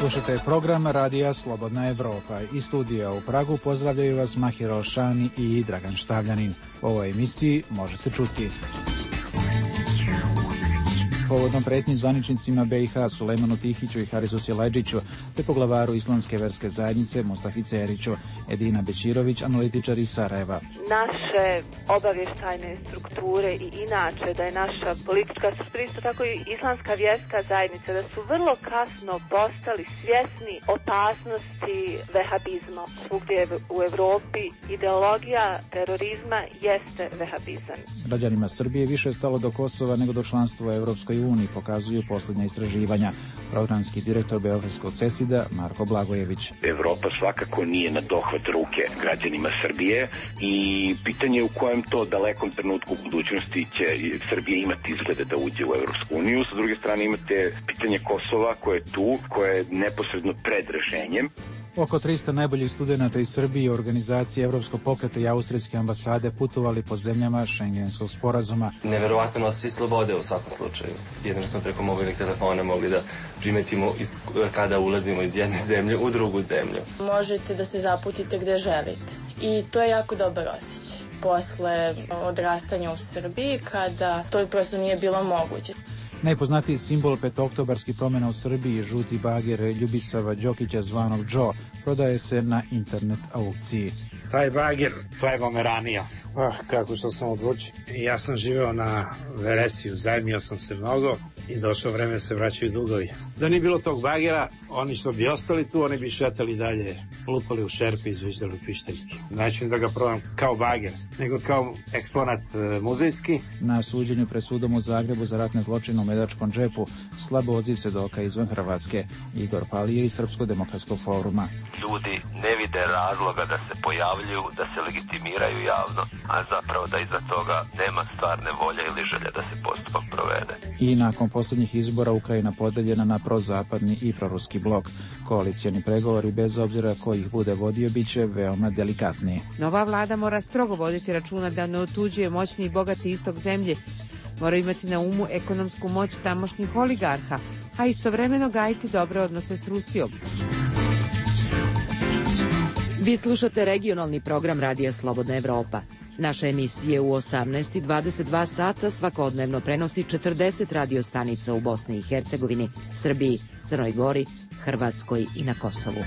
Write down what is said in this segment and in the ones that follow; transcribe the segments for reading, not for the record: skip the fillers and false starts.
Slušajte program Radija Slobodna Evropa. Iz studija u Pragu pozdravljaju vas Mahiro Šani i Dragan Štavljanin. U ovoj emisiji možete čuti: povodom pretnji zvaničnicima BiH Sulejmanu Tihiću i Harisu Silajdžiću, te poglavaru Islamske verske zajednice Mustafi Ceriću, Edina Bećirović, analitičar iz Sarajeva. Naše obavještajne strukture i inače da je naša politička struktura, isto tako i Islamska vjerska zajednica, da su vrlo kasno postali svjesni opasnosti vehabizma. Svugdje u Evropi ideologija terorizma jeste vehabizam. Građanima Srbije više je stalo do Kosova nego do članstva u Evropskoj uniji, pokazuju posljednja istraživanja. Programski direktor Beogradskog CESID-a Marko Blagojević. Evropa svakako nije na dohvat ruke građanima Srbije i pitanje je u kojem to dalekom trenutku u budućnosti će Srbija imati izglede da uđe u Evropsku uniju. Sa druge strane imate pitanje Kosova koje je tu, koje je neposredno pred rešenjem. Oko 300 najboljih studenata iz Srbije i organizacije Evropskog pokreta i Austrijske ambasade putovali po zemljama Šengenskog sporazuma. Neverovatno nosi slobode u svakom slučaju. Jedino smo preko mobilnih telefona mogli da primetimo kada ulazimo iz jedne zemlje u drugu zemlju. Možete da se zaputite gde želite i to je jako dobar osjećaj. Posle odrastanja u Srbiji, kada to prosto nije bilo moguće. Najpoznatiji simbol petooktobarskih promjena u Srbiji, žuti bager Ljubisava Đokića zvanog Džo, prodaje se na internet aukciji. Taj bager hlebomeranija. Kako što sam odlučio. Ja sam živeo na Veresiju, zajmio sam se mnogo i došlo vreme se vraćaju dugovi. Da nije bilo tog bagera, oni što bi ostali tu, oni bi šetali dalje, lupali u šerpe i izviždali u pišteljke. Znači da ga probam kao bager, nego kao eksponat muzejski. Na suđenju pred sudom u Zagrebu za ratne zločine u Medačkom džepu slabo odziv svedoka izvan Hrvatske. Igor Palije iz Srpsko-demokratskog foruma. Ljudi ne vide razloga da se pojavljuju, da se legitimiraju javno, a zapravo da iza toga nema stvarne volje ili želje da se postupak provede. I nakon posljednjih izbora Ukrajina podeljena na prozapadni i proruski blok. Koalicijani pregovori, bez obzira ko ih bude vodio, bit će veoma delikatniji. Nova vlada mora strogo voditi računa da ne otuđuje moćni i bogati istok zemlje. Mora imati na umu ekonomsku moć tamošnjih oligarha, a istovremeno gajiti dobre odnose s Rusijom. Vi slušate regionalni program Radija Slobodna Evropa. Naše emisije u 18:22 sata svakodnevno prenosi 40 radiostanica u Bosni i Hercegovini, Srbiji, Crnoj Gori, Hrvatskoj i na Kosovu.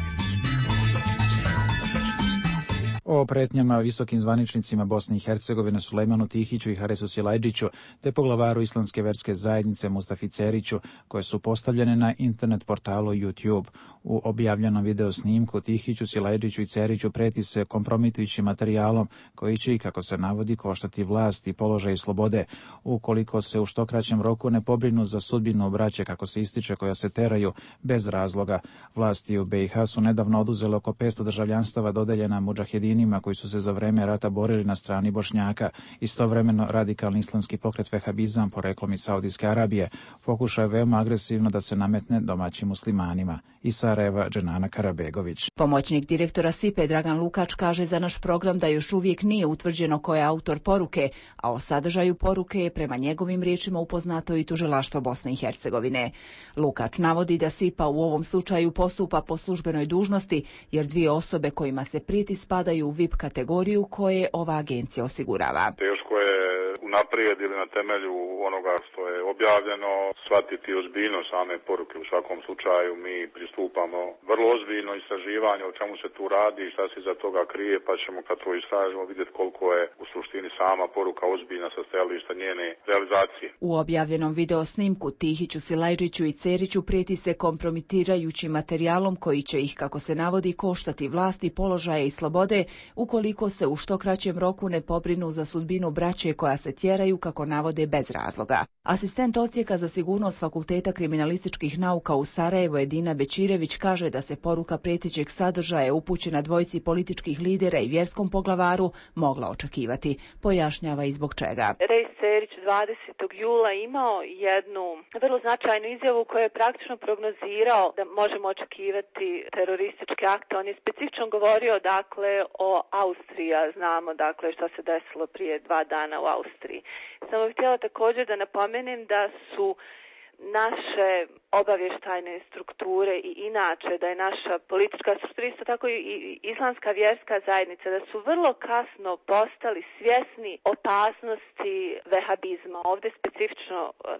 O pretnjama visokim zvaničnicima Bosne i Hercegovine Sulejmanu Tihiću i Harisu Silajdžiću, te poglavaru Islamske verske zajednice Mustafi Ceriću, koje su postavljene na internet portalu YouTube. U objavljenom video snimku Tihiću, Silajdžiću i Ceriću preti se kompromitujućim materijalom koji će, i kako se navodi, koštati vlast i položaj i slobode, ukoliko se u što kraćem roku ne pobrinu za sudbinu braće, kako se ističe, koja se teraju bez razloga. Vlasti u BiH su nedavno oduzele oko 500 državljanstava dodeljena mudžahedinima koji su se za vreme rata borili na strani Bošnjaka. Istovremeno radikalni islamski pokret vehabizam, poreklom iz Saudijske Arabije, pokušao veoma agresivno da se nametne domaćim muslimanima. Iz Sarajeva, Dženana Karabegović. Pomoćnik direktora SIPE Dragan Lukač kaže za naš program da još uvijek nije utvrđeno ko je autor poruke, a o sadržaju poruke je prema njegovim riječima upoznato i tužilaštvo Bosne i Hercegovine. Lukač navodi da SIPA u ovom slučaju postupa po službenoj dužnosti, jer dvije osobe kojima se prijeti spadaju u VIP kategoriju koje ova agencija osigurava. Teško je unaprijed ili na temelju onoga što je objavljeno shvatiti ozbiljnost same poruke. U svakom slučaju mi pristupamo vrlo ozbiljno istraživanju o čemu se tu radi i šta se iza toga krije, pa ćemo kad to istražimo vidjeti koliko je u suštini sama poruka ozbiljna sa stajališta njene realizacije. U objavljenom video snimku Tihiću, Silajdžiću i Ceriću prijeti se kompromitirajućim materijalom koji će ih, kako se navodi, koštati vlasti, položaje i slobode ukoliko se u što kraćem roku ne pobrinu za sudbinu braće koja se tjeraju, kako navode, bez razloga. Asistent odsjeka za sigurnost Fakulteta kriminalističkih nauka u Sarajevu Edina Bećirević kaže da se poruka prijetećeg sadržaja upućena dvojici političkih lidera i vjerskom poglavaru mogla očekivati. Pojašnjava i zbog čega. Rejs Cerić 20. jula imao jednu vrlo značajnu izjavu koja je praktično prognozirao da možemo očekivati terorističke akte. On je specifično govorio dakle o Austriji, a znamo dakle šta se desilo prije 2 dana u Austriji. Samo bih htjela također da napomenem da su naše obavještajne strukture i inače da je naša politička struktura, isto tako i islamska vjerska zajednica, da su vrlo kasno postali svjesni opasnosti vehabizma. Ovdje specifično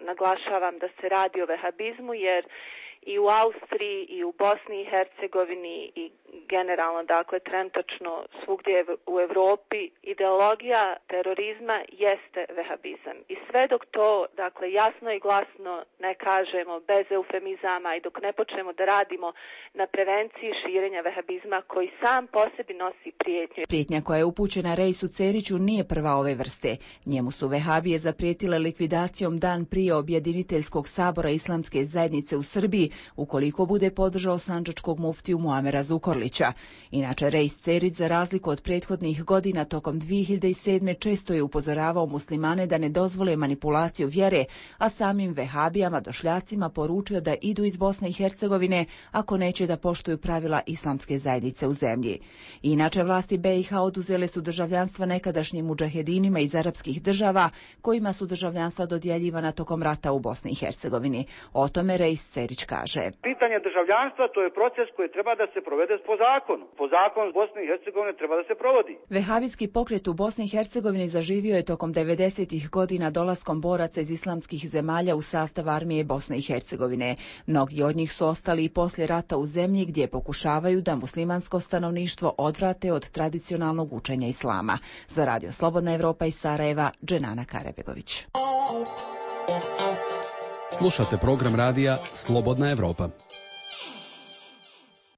naglašavam da se radi o vehabizmu jer i u Austriji i u Bosni i Hercegovini i generalno, dakle, trenutačno svugdje u Europi ideologija terorizma jeste vehabizam. I sve dok to, dakle, jasno i glasno ne kažemo, bez eufemizama i dok ne počnemo da radimo na prevenciji širenja vehabizma koji sam po sebi nosi prijetnju. Prijetnja koja je upućena Rejsu Ceriću nije prva ove vrste. Njemu su vehabije zaprijetile likvidacijom dan prije objediniteljskog sabora Islamske zajednice u Srbiji ukoliko bude podržao sandžačkog muftiju Muamera Zukorlića. Inače, Rejs Cerić, za razliku od prethodnih godina, tokom 2007. često je upozoravao muslimane da ne dozvole manipulaciju vjere, a samim vehabijama došljacima poručio da idu iz Bosne i Hercegovine ako neće da poštuju pravila Islamske zajednice u zemlji. Inače, vlasti BiH oduzele su državljanstva nekadašnjim mudžahedinima iz arapskih država, kojima su državljanstva dodjeljivana tokom rata u Bosni i Hercegovini. O tome Rejs Cerić kaže. Pitanje državljanstva to je proces koji treba da se provede po zakonu. Po zakonu Bosne i Hercegovine treba da se provodi. Vehabijski pokret u Bosni i Hercegovini zaživio je tokom 90-ih godina dolaskom boraca iz islamskih zemalja u sastav armije Bosne i Hercegovine. Mnogi od njih su ostali i poslije rata u zemlji gdje pokušavaju da muslimansko stanovništvo odvrate od tradicionalnog učenja islama. Za Radio Slobodna Evropa iz Sarajeva, Dženana Karebegović. Slušate program radija Slobodna Evropa.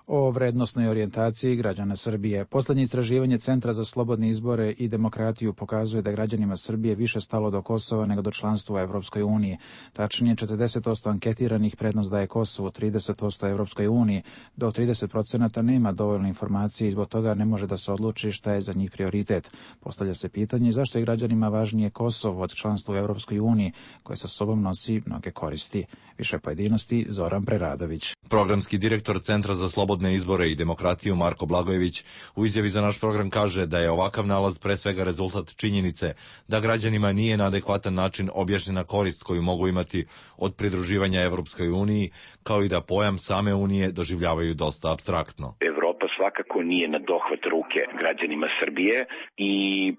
O vrednosnoj orijentaciji građana Srbije. Posljednje istraživanje Centra za slobodne izbore i demokratiju pokazuje da građanima Srbije više stalo do Kosova nego do članstva u Evropskoj uniji. Tačnije, 40% anketiranih prednost daje Kosovu, 30% Evropskoj uniji. Do 30% nema dovoljno informacije i zbog toga ne može da se odluči šta je za njih prioritet. Postavlja se pitanje zašto je građanima važnije Kosovo od članstva u Evropskoj uniji, koje sa sobom nosi mnoge koristi. Više pojedinosti, Zoran Preradović. Programski direktor Centra za slobodne izbore i demokratiju Marko Blagojević u izjavi za naš program kaže da je ovakav nalaz pre svega rezultat činjenice da građanima nije na adekvatan način objašnjena korist koju mogu imati od pridruživanja Evropskoj uniji, kao i da pojam same unije doživljavaju dosta apstraktno. Evropa svakako nije na dohvat ruke građanima Srbije i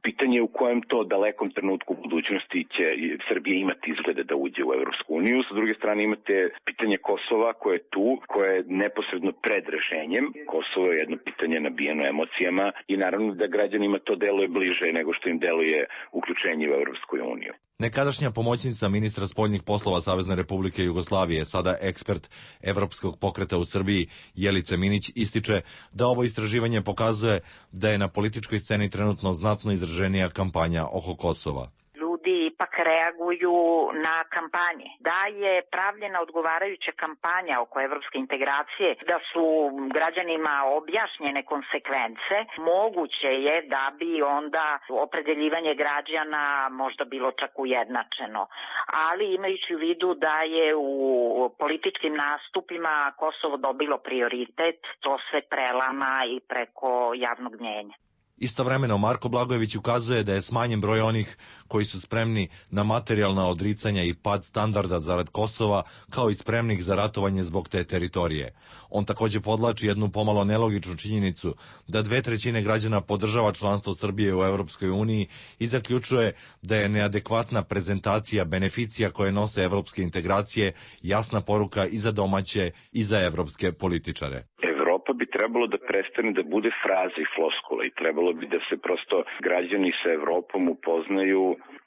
pitanje je u kojem to dalekom trenutku u budućnosti će Srbija imati izglede da uđe u Evropsku uniju. Sa druge strane imate pitanje Kosova koje je tu, koje je neposredno pred rešenjem. Kosovo je jedno pitanje nabijeno emocijama i naravno da građanima to deluje bliže nego što im deluje uključenje u Evropsku uniju. Nekadašnja pomoćnica ministra spoljnih poslova Savezne Republike Jugoslavije, sada ekspert Evropskog pokreta u Srbiji, Jelica Minić, ističe da ovo istraživanje pokazuje da je na političkoj sceni trenutno znatno izraženija kampanja oko Kosova. Ipak reaguju na kampanje. Da je pravljena odgovarajuća kampanja oko evropske integracije, da su građanima objašnjene konsekvence, moguće je da bi onda opredeljivanje građana možda bilo čak ujednačeno. Ali imajući u vidu da je u političkim nastupima Kosovo dobilo prioritet, to se prelama i preko javnog mnjenja. Istovremeno, Marko Blagojević ukazuje da je smanjen broj onih koji su spremni na materijalna odricanja i pad standarda zarad Kosova, kao i spremnih za ratovanje zbog te teritorije. On također podlači jednu pomalo nelogičnu činjenicu da 2/3 građana podržava članstvo Srbije u Evropskoj uniji i zaključuje da je neadekvatna prezentacija beneficija koje nose evropske integracije jasna poruka i za domaće i za evropske političare. Evropa Evropa bi trebalo da prestane da bude fraza i floskula i trebalo bi da se prosto građani sa Evropom upoznaju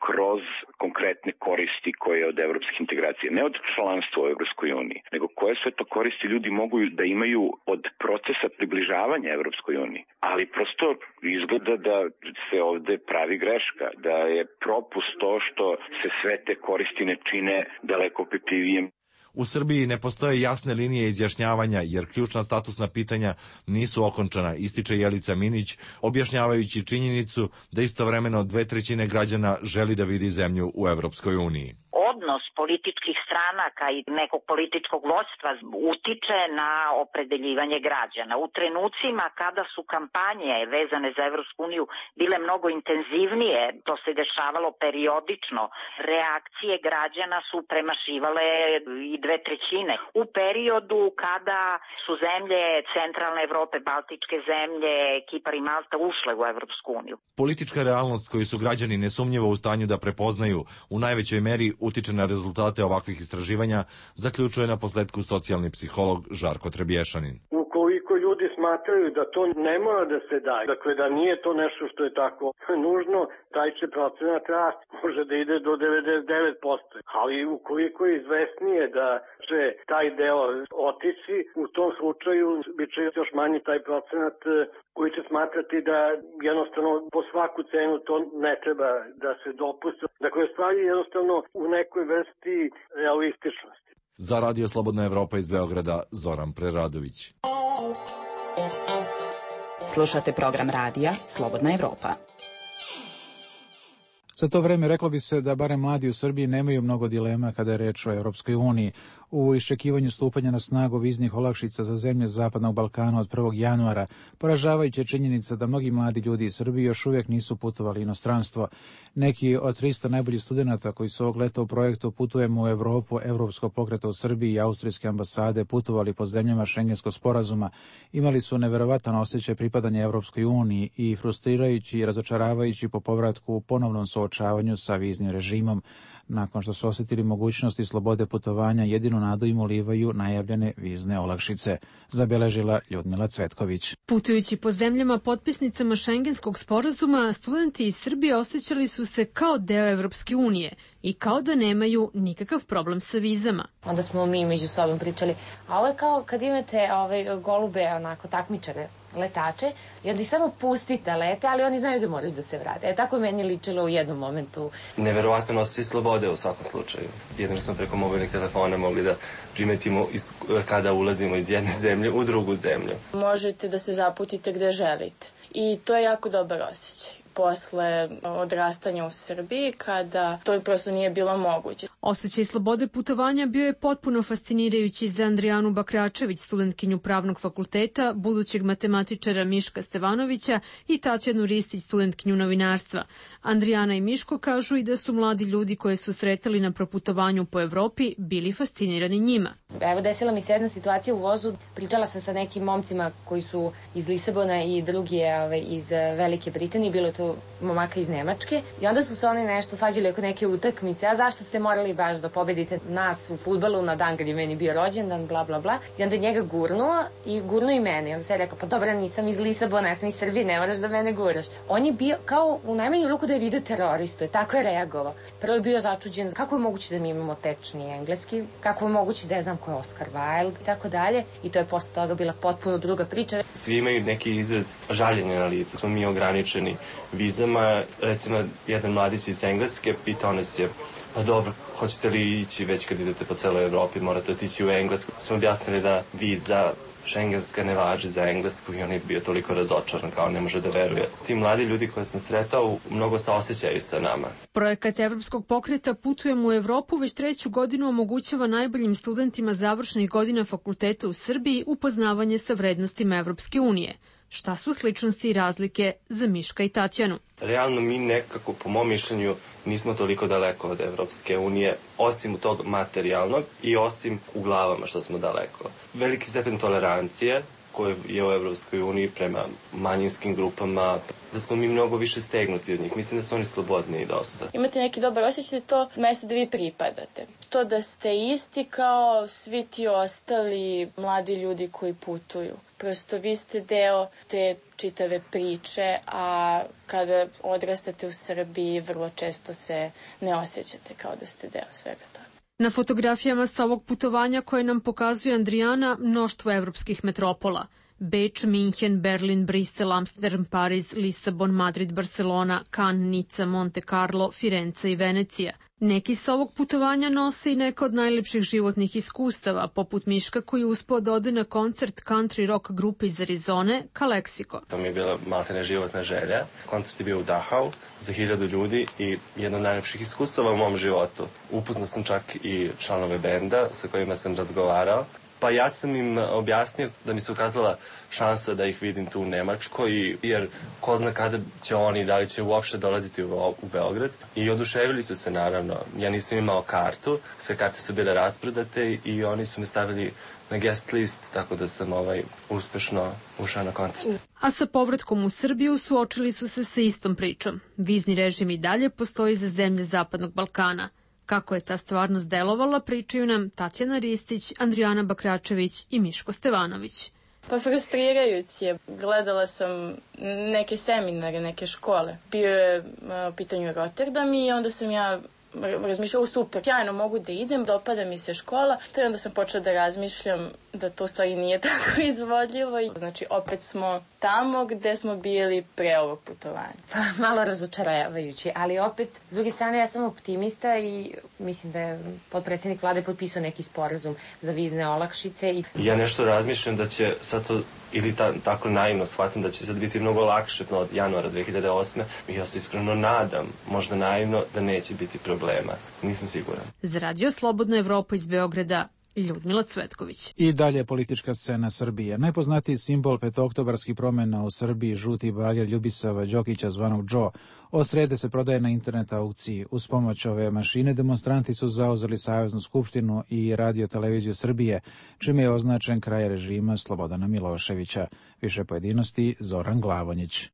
kroz konkretne koristi koje od evropske integracije, ne od članstva u Evropskoj uniji, nego koje sve to koristi ljudi mogu da imaju od procesa približavanja Evropskoj uniji. Ali prosto izgleda da se ovde pravi greška, da je propust to što se sve te koristi ne čine daleko opipljivijim. U Srbiji ne postoje jasne linije izjašnjavanja jer ključna statusna pitanja nisu okončana, ističe Jelica Minić, objašnjavajući činjenicu da istovremeno 2/3 građana želi da vidi zemlju u Evropskoj uniji. Odnos političkih stranaka i nekog političkog vođstva utiče na opredeljivanje građana. U trenucima kada su kampanje vezane za Evropsku uniju bile mnogo intenzivnije, to se dešavalo periodično, reakcije građana su premašivale i 2/3. U periodu kada su zemlje centralne Evrope, baltičke zemlje, Kipar i Malta ušle u Evropsku uniju. Politička realnost koju su građani nesumnjivo u stanju da prepoznaju u najvećoj meri utiče na rezultate ovakvih istraživanja, zaključuje na posledku socijalni psiholog Žarko Trebješanin. Ukoliko ljudi smatraju da to ne mora da se daje, dakle da nije to nešto što je tako nužno, taj će procenat rasti, može da ide do 99%. Ali ukoliko je izvesnije da će taj deo otići, u tom slučaju bit će još manji taj procenat koji će smatrati da jednostavno po svaku cenu to ne treba da se dopusti. Dakle, stvari jednostavno u nekoj vrsti realističnosti. Za Radio Slobodna Evropa iz Beograda, Zoran Preradović. Slušate program radija Slobodna Evropa. Za to vreme reklo bi se da barem mladi u Srbiji nemaju mnogo dilema kada je reč o Evropskoj uniji. U iščekivanju stupanja na snagu viznih olakšica za zemlje Zapadnog Balkana od 1. januara, poražavajuća činjenica da mnogi mladi ljudi iz Srbije još uvijek nisu putovali inostranstvo. Neki od 300 najboljih studenata koji su ovog leta u projektu Putujemo u Evropu, Evropskog pokreta u Srbiji i Austrijske ambasade putovali po zemljama Šengenskog sporazuma, imali su neverovatan osjećaj pripadanja Evropskoj uniji i frustrirajući i razočaravajući po povratku u ponovnom suočavanju sa viznim režimom. Nakon što su osjetili mogućnosti slobode putovanja, jedinu nadu im ulivaju najavljene vizne olakšice, zabeležila Ljudmila Cvetković. Putujući po zemljama potpisnicama Šengenskog sporazuma, studenti iz Srbije osjećali su se kao deo Evropske unije i kao da nemaju nikakav problem sa vizama. Onda smo mi među sobom pričali, a ovo je kao kad imate golube, onako takmičare, letače, i onda ih samo pusti da lete, ali oni znaju da moraju da se vrate. Tako je meni ličilo u jednom momentu. Neverovatno osjećaj slobode u svakom slučaju. Jedino smo preko mobilnih telefona mogli da primetimo kada ulazimo iz jedne zemlje u drugu zemlju. Možete da se zaputite gde želite. I to je jako dobar osjećaj. Posle odrastanja u Srbiji, kada to prosto nije bilo moguće. Osjećaj slobode putovanja bio je potpuno fascinirajući za Andrijanu Bakračević, studentkinju Pravnog fakulteta, budućeg matematičara Miška Stevanovića i Tatjanu Ristić, studentkinju novinarstva. Andrijana i Miško kažu i da su mladi ljudi koje su sretali na proputovanju po Evropi bili fascinirani njima. Evo, desila mi se jedna situacija u vozu. Pričala sam sa nekim momcima koji su iz Lisabona i drugi je iz Velike Britanije. Bilo je to momaka iz Nemačke. I onda su se oni nešto svađali oko neke utakmice. A zašto ste morali baš da pobedite nas u fudbalu na dan kad je meni bio rođendan, bla, bla, bla. I onda njega gurnuo i gurnuo i mene. I onda se je rekao, pa dobro, nisam iz Lisabona, ja sam iz Srbije, ne moraš da mene guraš. On je bio kao u najmanju ruku da je vidio teroristu. Tako je reagovao. Prvo je bio začuđen kako je moguće da mi imamo tečni engleski, kako je moguće da je znam ko je Oscar Wilde i tako dalje. I to je posle toga bila potpuno druga priča. Svi imaju neki izraz žaljenja na licu. Smo mi ograničeni vizama. Recimo, jedan mladić iz Engleske pitao nas je, pa dobro, hoćete li ići već kad idete po celoj Evropi, morate otići u Englesku. Smo objasnili da viza šengenska ne važi za Englesku i on je bio toliko razočaran, kao ne može da veruje. Ti mladi ljudi koje sam sretao mnogo saosećaju sa nama. Projekat Evropskog pokreta Putujemo u Evropu već 3. godinu omogućava najboljim studentima završnih godina fakulteta u Srbiji upoznavanje sa vrednostima Evropske unije. Šta su sličnosti i razlike za Miška i Tatjanu? Realno mi nekako, po mom mišljenju, nismo toliko daleko od Evropske unije, osim tog materijalnog i osim u glavama što smo daleko. Veliki stepen tolerancije koje je u Evropskoj uniji prema manjinskim grupama, da smo mi mnogo više stegnuti od njih. Mislim da su oni slobodniji dosta. Imate neki dobar osjećaj da to mesto da vi pripadate. To da ste isti kao svi ti ostali mladi ljudi koji putuju. Prosto vi ste deo te čitave priče, a kada odrastate u Srbiji vrlo često se ne osjećate kao da ste deo svega toga. Na fotografijama sa ovog putovanja koje nam pokazuje Andrijana mnoštvo evropskih metropola. Beč, Minhen, Berlin, Brisel, Amsterdam, Pariz, Lisabon, Madrid, Barcelona, Cannes, Nica, Monte Carlo, Firenze i Venecija. Neki sa ovog putovanja nose i neka od najlepših životnih iskustava, poput Miška koji je uspeo da ode na koncert country rock grupe iz Arizone, Kaleksiko. To mi je bila maltene životna želja. Koncert je bio u Dachau za 1000 ljudi i jedno od najlepših iskustava u mom životu. Upoznao sam čak i članove benda sa kojima sam razgovarao. Pa ja sam im objasnio da mi se ukazala šansa da ih vidim tu u Nemačkoj, jer ko zna kada će oni, da li će uopšte dolaziti u Beograd. I oduševili su se, naravno. Ja nisam imao kartu, sve karte su bile rasprodate i oni su me stavili na guest list, tako da sam uspešno ušao na koncert. A sa povratkom u Srbiju suočili su se sa istom pričom. Vizni režim i dalje postoji za zemlje Zapadnog Balkana. Kako je ta stvarnost delovala, pričaju nam Tatjana Ristić, Andrijana Bakračević i Miško Stevanović. Pa frustrirajući je. Gledala sam neke seminare, neke škole. Bio je u pitanju Rotterdam i onda sam ja razmišljala, super, sjajno mogu da idem, dopada mi se škola, te onda sam počela da razmišljam da to u stvari nije tako izvodljivo. Znači, opet smo tamo gde smo bili pre ovog putovanja. Pa malo razočaravajući, ali opet, s druge strane, ja sam optimista i mislim da je potpredsjednik vlade potpisao neki sporazum za vizne olakšice. Ja nešto razmišljam da će sad to, ili tako naivno shvatim, da će sad biti mnogo lakše od januara 2008. I ja se iskreno nadam, možda naivno, da neće biti problema. Nisam siguran. Za Radio Slobodna Evropa iz Beograda, Ljudmila Cvetković. I dalje politička scena Srbije. Najpoznatiji simbol petooktobarskih promjena u Srbiji, žuti bager Ljubisava Đokića zvanog Džo, od srede se prodaje na internet aukciji. Uz pomoć ove mašine demonstranti su zauzeli Saveznu skupštinu i Radio televiziju Srbije, čime je označen kraj režima Slobodana Miloševića. Više pojedinosti Zoran Glavonjić.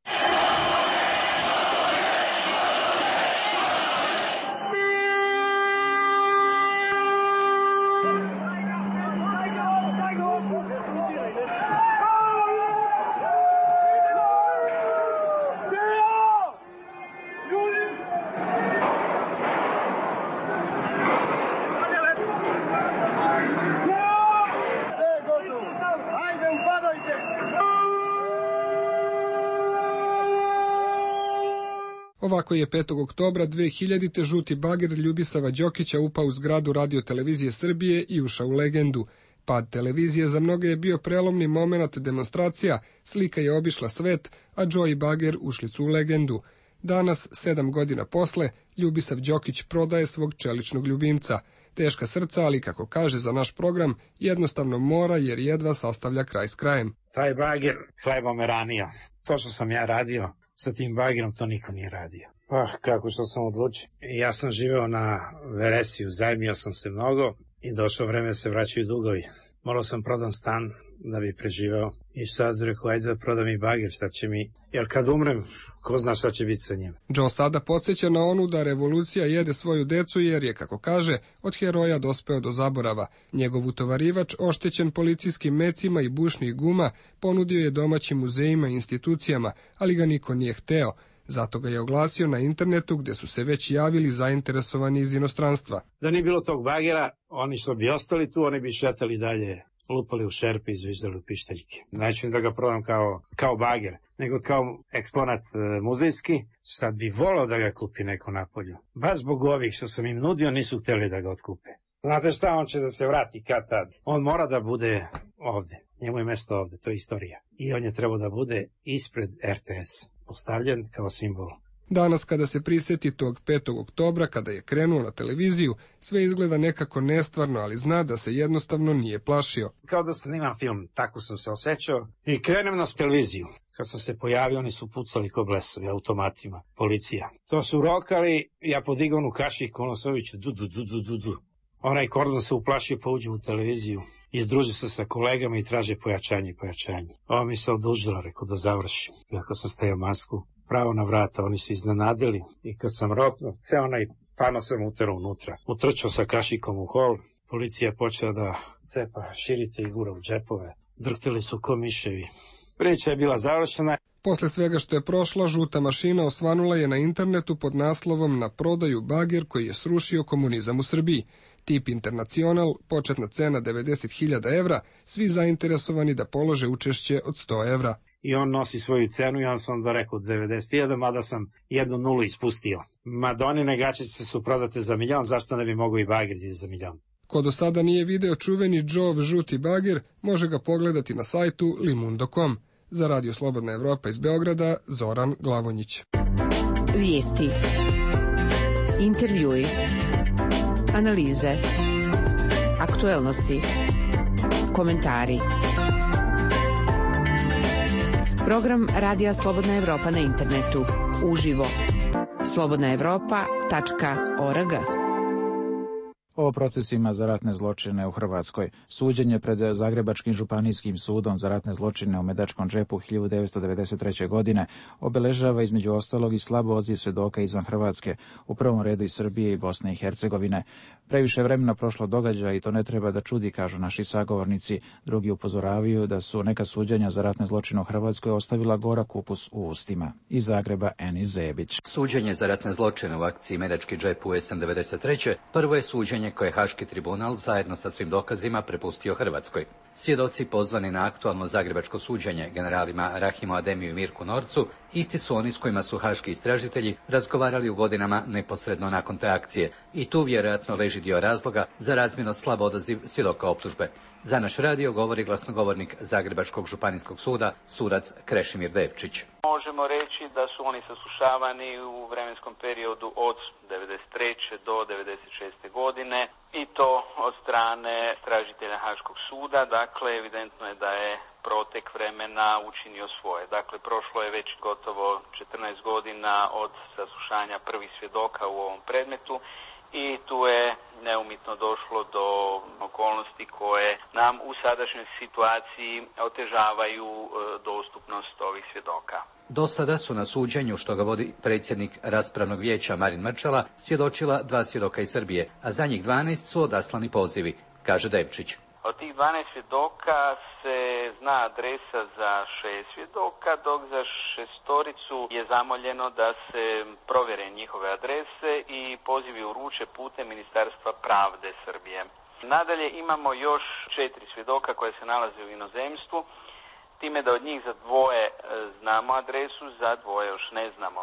Ovako je 5. oktobra 2000. žuti bager Ljubisava Đokića upao u zgradu Radio televizije Srbije i ušao u legendu. Pad televizije za mnoge je bio prelomni moment demonstracija, slika je obišla svet, a Džo i bager ušli su u legendu. Danas, 7 godina posle, Ljubisav Đokić prodaje svog čeličnog ljubimca. Teška srca, ali kako kaže za naš program, jednostavno mora jer jedva sastavlja kraj s krajem. Taj bager hleba me ranio. To što sam ja radio sa tim bagerom, to niko nije radio. Kako što sam odlučio. Ja sam živeo na Veresiju, zajmio sam se mnogo i došlo vreme se vraćaju dugovi. Morao sam prodam stan da bi preživeo i sad rekao, ajde da prodam i bager, šta će mi, jer kad umrem, ko zna šta će biti sa njim. Džo sada podsjeća na onu da revolucija jede svoju decu jer je, kako kaže, od heroja dospeo do zaborava. Njegov utovarivač, oštećen policijskim mecima i bušnih guma, ponudio je domaćim muzejima i institucijama, ali ga niko nije hteo. Zato ga je oglasio na internetu gde su se već javili zainteresovani iz inostranstva. Da nije bilo tog bagera, oni što bi ostali tu, oni bi šetali dalje, lupali u šerpe i zviždali u pištaljke. Neću da ga prodam kao bager, nego kao eksponat muzejski. Sad bi volao da ga kupi neko napolju. Baš zbog ovih što sam im nudio nisu hteli da ga otkupe. Znate šta, on će da se vrati kad tad. On mora da bude ovde. Njemu je mesto ovde, to je istorija. I on je trebao da bude ispred RTS, postavljen kao simbol. Danas kada se prisjeti tog 5. oktobra, kada je krenuo na televiziju, sve izgleda nekako nestvarno, ali zna da se jednostavno nije plašio. Kao da snimam film, tako sam se osjećao. I krenem na televiziju. Kad sam se pojavio, oni su pucali ko blesovi, automatima, policija. To su rokali, ja podigao onu kašiku, ono se oviće, du. Onaj kordon se uplašio, pa uđe u televiziju. Izdruži se sa kolegama i traže pojačanje. Ovo mi se odužilo, rekao da završim. Iako sam stajao masku, pravo na vrata, oni su iznenadili. I kad sam roknuo, ceo onaj pano sam uterao unutra. Utrčao sa kašikom u hol, policija počela da cepa širite i gura u džepove. drhtili su ko miševi. Priča je bila završena. Posle svega što je prošla, žuta mašina osvanula je na internetu pod naslovom Na prodaju bager koji je srušio komunizam u Srbiji. Tip Internacional, početna cena 90.000 evra, svi zainteresovani da polože učešće od 100 evra. I on nosi svoju cenu i on sam onda rekao 91, mada sam 1 nulu ispustio. Madonine gaćice su prodate za 1 milion, zašto ne bi mogao i bager za 1 milion? Ko do sada nije video čuveni Joe žuti bager, može ga pogledati na sajtu limundo.com. Za Radio Slobodna Evropa iz Beograda, Zoran Glavonjić. Vijesti, intervjui, analize, aktuelnosti, komentari. Program Radija Slobodna Evropa na internetu. Uživo. slobodnaevropa.org. O procesima za ratne zločine u Hrvatskoj. Suđenje pred Zagrebačkim županijskim sudom za ratne zločine u Medačkom džepu 1993. godine obeležava između ostalog i slabo odziv svjedoka izvan Hrvatske, u prvom redu iz Srbije i Bosne i Hercegovine. Previše vremena prošlo događaja i to ne treba da čudi, kažu naši sagovornici. Drugi upozoravaju da su neka suđenja za ratne zločine u Hrvatskoj ostavila gorak ukus u ustima. Iz Zagreba, Enis Zebić. Suđenje za ratne zločine u akciji Medački džep u jesen 93. prvo je suđenje koje je Haški tribunal zajedno sa svim dokazima prepustio Hrvatskoj. Svjedoci pozvani na aktualno zagrebačko suđenje generalima Rahimu Ademiju i Mirku Norcu isti su oni s kojima su haški istražitelji razgovarali u godinama neposredno nakon te akcije i tu vjerojatno leži dio razloga za razmjerno slab odaziv svjedoka optužbe. Za naš radio govori glasnogovornik Zagrebačkog županijskog suda, sudac Krešimir Devčić. Možemo reći da su oni saslušavani u vremenskom periodu od 93. do 96. godine i to od strane tražitelja Haškog suda. Dakle, evidentno je da je protek vremena učinio svoje. Dakle, prošlo je već gotovo 14 godina od saslušanja prvih svjedoka u ovom predmetu i tu je neumitno došlo do okolnosti koje nam u sadašnjoj situaciji otežavaju dostupnost ovih svjedoka. Do sada su na suđenju, što ga vodi predsjednik raspravnog vijeća Marin Mrčala, svjedočila 2 svjedoka iz Srbije, a za njih 12 su odaslani pozivi, kaže Devčić. Od tih 12 svjedoka se zna adresa za 6 svjedoka, dok za 6 je zamoljeno da se provjere njihove adrese i pozivi uruče putem Ministarstva pravde Srbije. Nadalje imamo još 4 svjedoka koje se nalaze u inozemstvu, time da od njih za 2 znamo adresu, za 2 još ne znamo.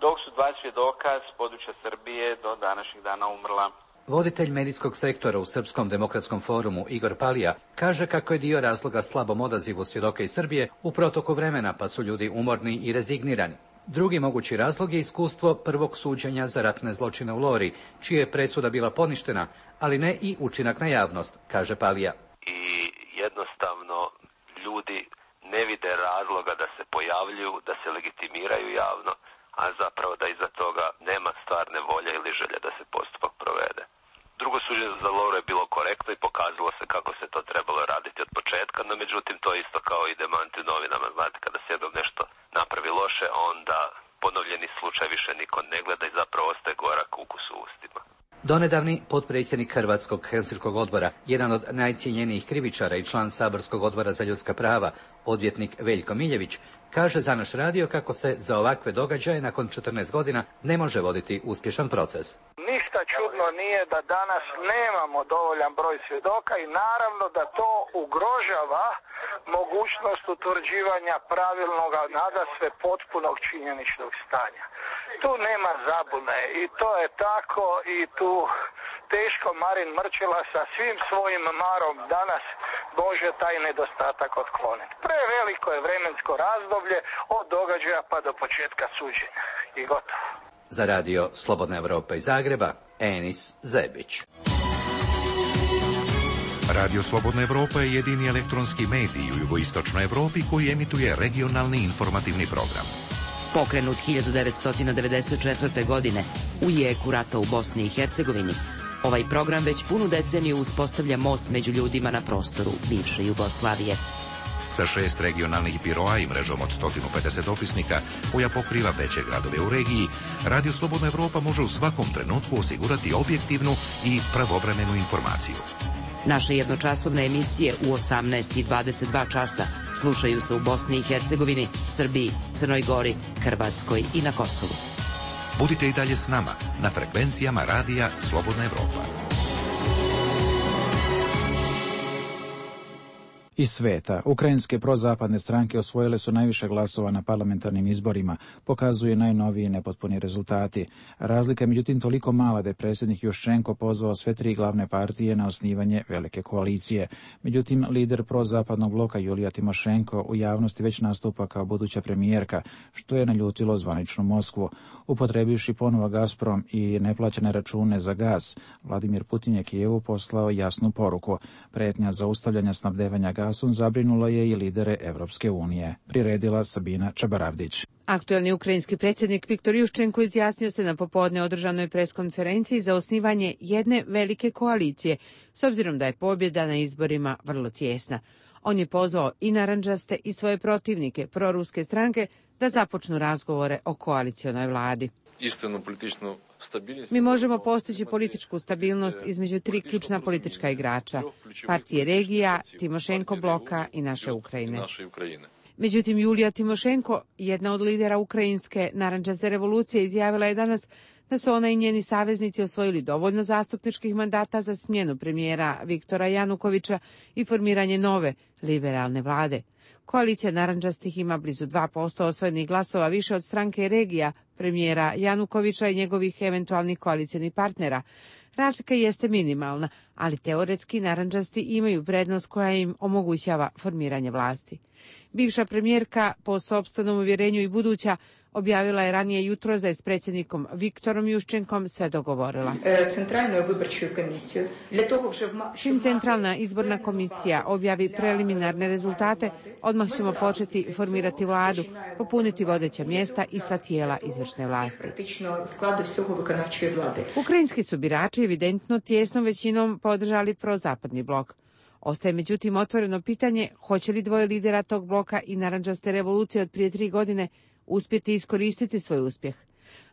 Dok su 2 svjedoka s područja Srbije do današnjeg dana umrla. Voditelj medijskog sektora u Srpskom demokratskom forumu Igor Palija kaže kako je dio razloga slabom odazivu svjedoka iz Srbije u protoku vremena, pa su ljudi umorni i rezignirani. Drugi mogući razlog je iskustvo prvog suđenja za ratne zločine u Lori, čija je presuda bila poništena, ali ne i učinak na javnost, kaže Palija. I jednostavno ljudi ne vide razloga da se pojavljuju, da se legitimiraju javno, a zapravo da iza toga nema stvarne volje ili želje da se postupak provede. Drugo suđenje za Loru je bilo korektno i pokazalo se kako se to trebalo raditi od početka, no međutim to isto kao i demanti u novinama, znate, kada se jednom nešto napravi loše, onda ponovljeni slučaj više niko ne gleda i zapravo ostaje gorak ukus u ustima. Donedavni potpredsjednik Hrvatskog Helsinškog odbora, jedan od najcijenjenijih krivičara i član Saborskog odbora za ljudska prava, odvjetnik Veljko Miljević, kaže za naš radio kako se za ovakve događaje nakon 14 godina ne može voditi uspješan proces. Ništa čudno nije da danas nemamo dovoljan broj svjedoka i naravno da to ugrožava mogućnost utvrđivanja pravilnog, nadasve potpunog činjeničnog stanja. Tu nema zabune i to je tako i tu teško Marin Mrčela sa svim svojim marom danas može taj nedostatak otkloniti. Preveliko je vremensko razdoblje od događaja pa do početka suđenja i gotovo. Za radio Slobodna Evropa iz Zagreba, Enis Zebić. Radio Slobodna Evropa je jedini elektronski medij u jugoistočnoj Evropi koji emituje regionalni informativni program. Pokrenut 1994. godine u jeku rata u Bosni i Hercegovini, ovaj program već punu deceniju uspostavlja most među ljudima na prostoru bivše Jugoslavije. Sa 6 regionalnih biroa i mrežom od 150 opisnika koja pokriva veće gradove u regiji, Radio Slobodna Evropa može u svakom trenutku osigurati objektivnu i pravovremenu informaciju. Naše jednočasovne emisije u 18 i 22 časa slušaju se u Bosni i Hercegovini, Srbiji, Crnoj Gori, Hrvatskoj i na Kosovu. Budite i dalje s nama na frekvencijama Radija Slobodna Evropa. Iz sveta, ukrajinske prozapadne stranke osvojile su najviše glasova na parlamentarnim izborima, pokazuje najnoviji nepotpuni rezultati. Razlika je međutim toliko mala da je predsjednik Juščenko pozvao sve tri glavne partije na osnivanje velike koalicije. Međutim, lider prozapadnog bloka Julija Timošenko u javnosti već nastupa kao buduća premijerka, što je naljutilo zvaničnu Moskvu. Upotrebivši ponovo Gazprom i neplaćene račune za gaz, Vladimir Putin je Kijevu poslao jasnu poruku. Pretnja zaustavljanja snabdevanja gasom zabrinulo je i lidere Evropske unije. Priredila Sabina Čabaravdić. Aktuelni ukrajinski predsjednik Viktor Juščenko izjasnio se na popodne održanoj preskonferenciji za osnivanje jedne velike koalicije, s obzirom da je pobjeda na izborima vrlo tijesna. On je pozvao i narandžaste i svoje protivnike, proruske stranke, da započnu razgovore o koalicionoj vladi. Mi možemo postići političku stabilnost između tri ključna politička igrača, partije regija, Timošenko bloka i naše Ukrajine. Međutim, Julija Timošenko, jedna od lidera ukrajinske narandžaste revolucije, izjavila je danas da su ona i njeni saveznici osvojili dovoljno zastupničkih mandata za smjenu premijera Viktora Janukovića i formiranje nove liberalne vlade. Koalicija narandžastih ima blizu 2% osvojenih glasova više od stranke regija, premijera Janukovića i njegovih eventualnih koalicionih partnera. Razlika jeste minimalna, ali teoretski narandžasti imaju prednost koja im omogućava formiranje vlasti. Bivša premijerka, po sopstvenom uvjerenju i buduća, objavila je ranije jutros da je s predsjednikom Viktorom Juščenkom sve dogovorila. Čim Centralna izborna komisija objavi preliminarne rezultate, odmah ćemo početi formirati vladu, popuniti vodeća mjesta i sva tijela izvršne vlasti. Ukrajinski su birači evidentno tijesnom većinom podržali prozapadni blok. Ostaje međutim otvoreno pitanje hoće li dvoje lidera tog bloka i narandžaste revolucije od prije 3 godine uspjeti iskoristiti svoj uspjeh.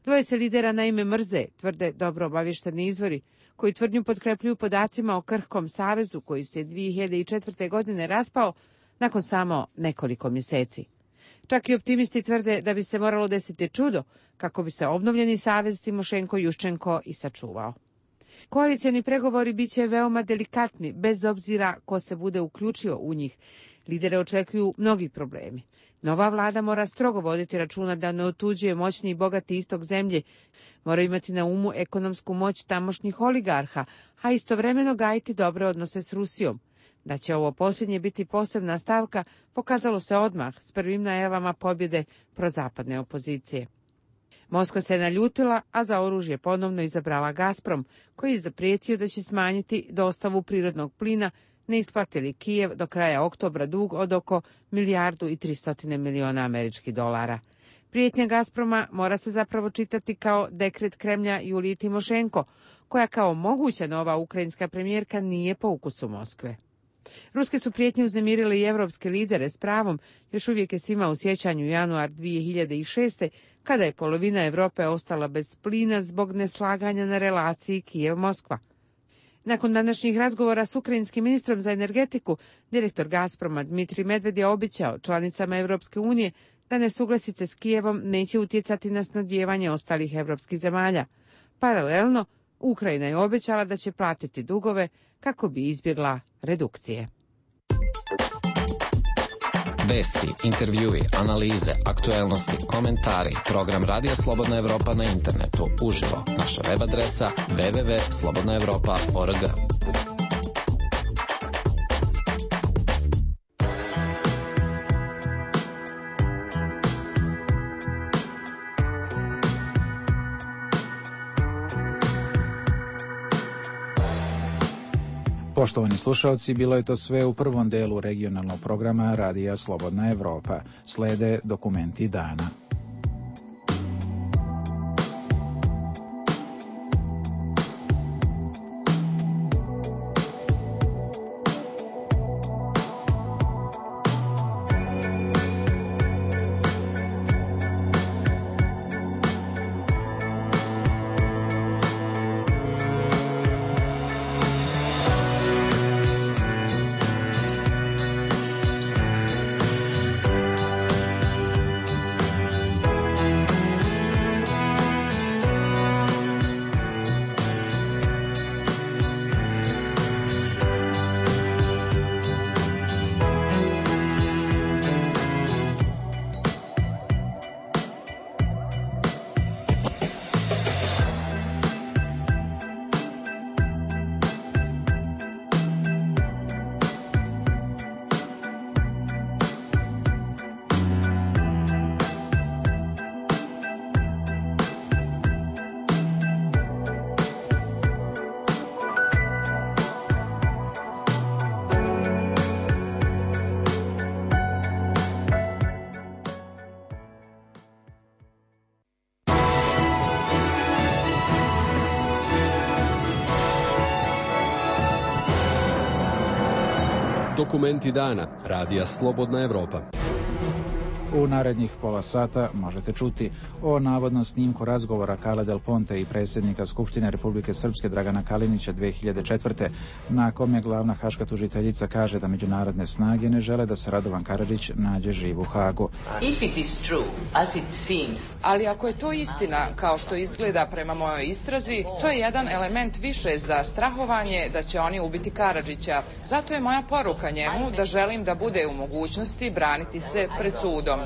Dvoje se lidera naime mrze, tvrde dobro obavješteni izvori, koji tvrdnju potkrepljuju podacima o krhkom savezu koji se 2004. godine raspao nakon samo nekoliko mjeseci. Čak i optimisti tvrde da bi se moralo desiti čudo kako bi se obnovljeni savez Timošenko-Juščenko i sačuvao. Koalicijani pregovori bit će veoma delikatni, bez obzira ko se bude uključio u njih. Lidere očekuju mnogi problemi. Nova vlada mora strogo voditi računa da ne otuđuje moćni i bogati istok zemlje, mora imati na umu ekonomsku moć tamošnjih oligarha, a istovremeno gajiti dobre odnose s Rusijom. Da će ovo posljednje biti posebna stavka pokazalo se odmah s prvim najavama pobjede prozapadne opozicije. Moskva se naljutila, a za oružje ponovno izabrala Gazprom, koji je zaprijetio da će smanjiti dostavu prirodnog plina, ne isplati li Kijev do kraja oktobra dug od oko $1,3 milijardi. Prijetnja Gazproma mora se zapravo čitati kao dekret Kremlja Juliji Timošenko, koja kao moguća nova ukrajinska premijerka nije po ukusu Moskve. Ruske su prijetnje uznemirile i evropske lidere s pravom, još uvijek je svima u sjećanju januar 2006. kada je polovina Europe ostala bez plina zbog neslaganja na relaciji Kijev-Moskva. Nakon današnjih razgovora s ukrajinskim ministrom za energetiku, direktor Gazproma Dmitrij Medved je obećao članicama Europske unije da nesuglasice s Kijevom neće utjecati na snabdijevanje ostalih europskih zemalja. Paralelno, Ukrajina je obećala da će platiti dugove kako bi izbjegla redukcije. Vesti, intervjui, analize, aktuelnosti, komentari, program Radija Slobodna Evropa na internetu, uživo, naša web adresa www.slobodnaevropa.org. Poštovani slušalci, bilo je to sve u prvom delu regionalnog programa Radija Slobodna Evropa. Slede dokumenti dana. Dokumenti dana Radija Slobodna Evropa. U narednih pola sata možete čuti o navodnom snimku razgovora Carle Del Ponte i predsjednika Skupštine Republike Srpske Dragana Kalinića 2004. na kom je glavna haška tužiteljica kaže da međunarodne snage ne žele da se Radovan Karadžić nađe živ u Hagu. Ali ako je to istina, kao što izgleda prema mojoj istrazi, to je jedan element više za strahovanje da će oni ubiti Karadžića. Zato je moja poruka njemu da želim da bude u mogućnosti braniti se pred sudom.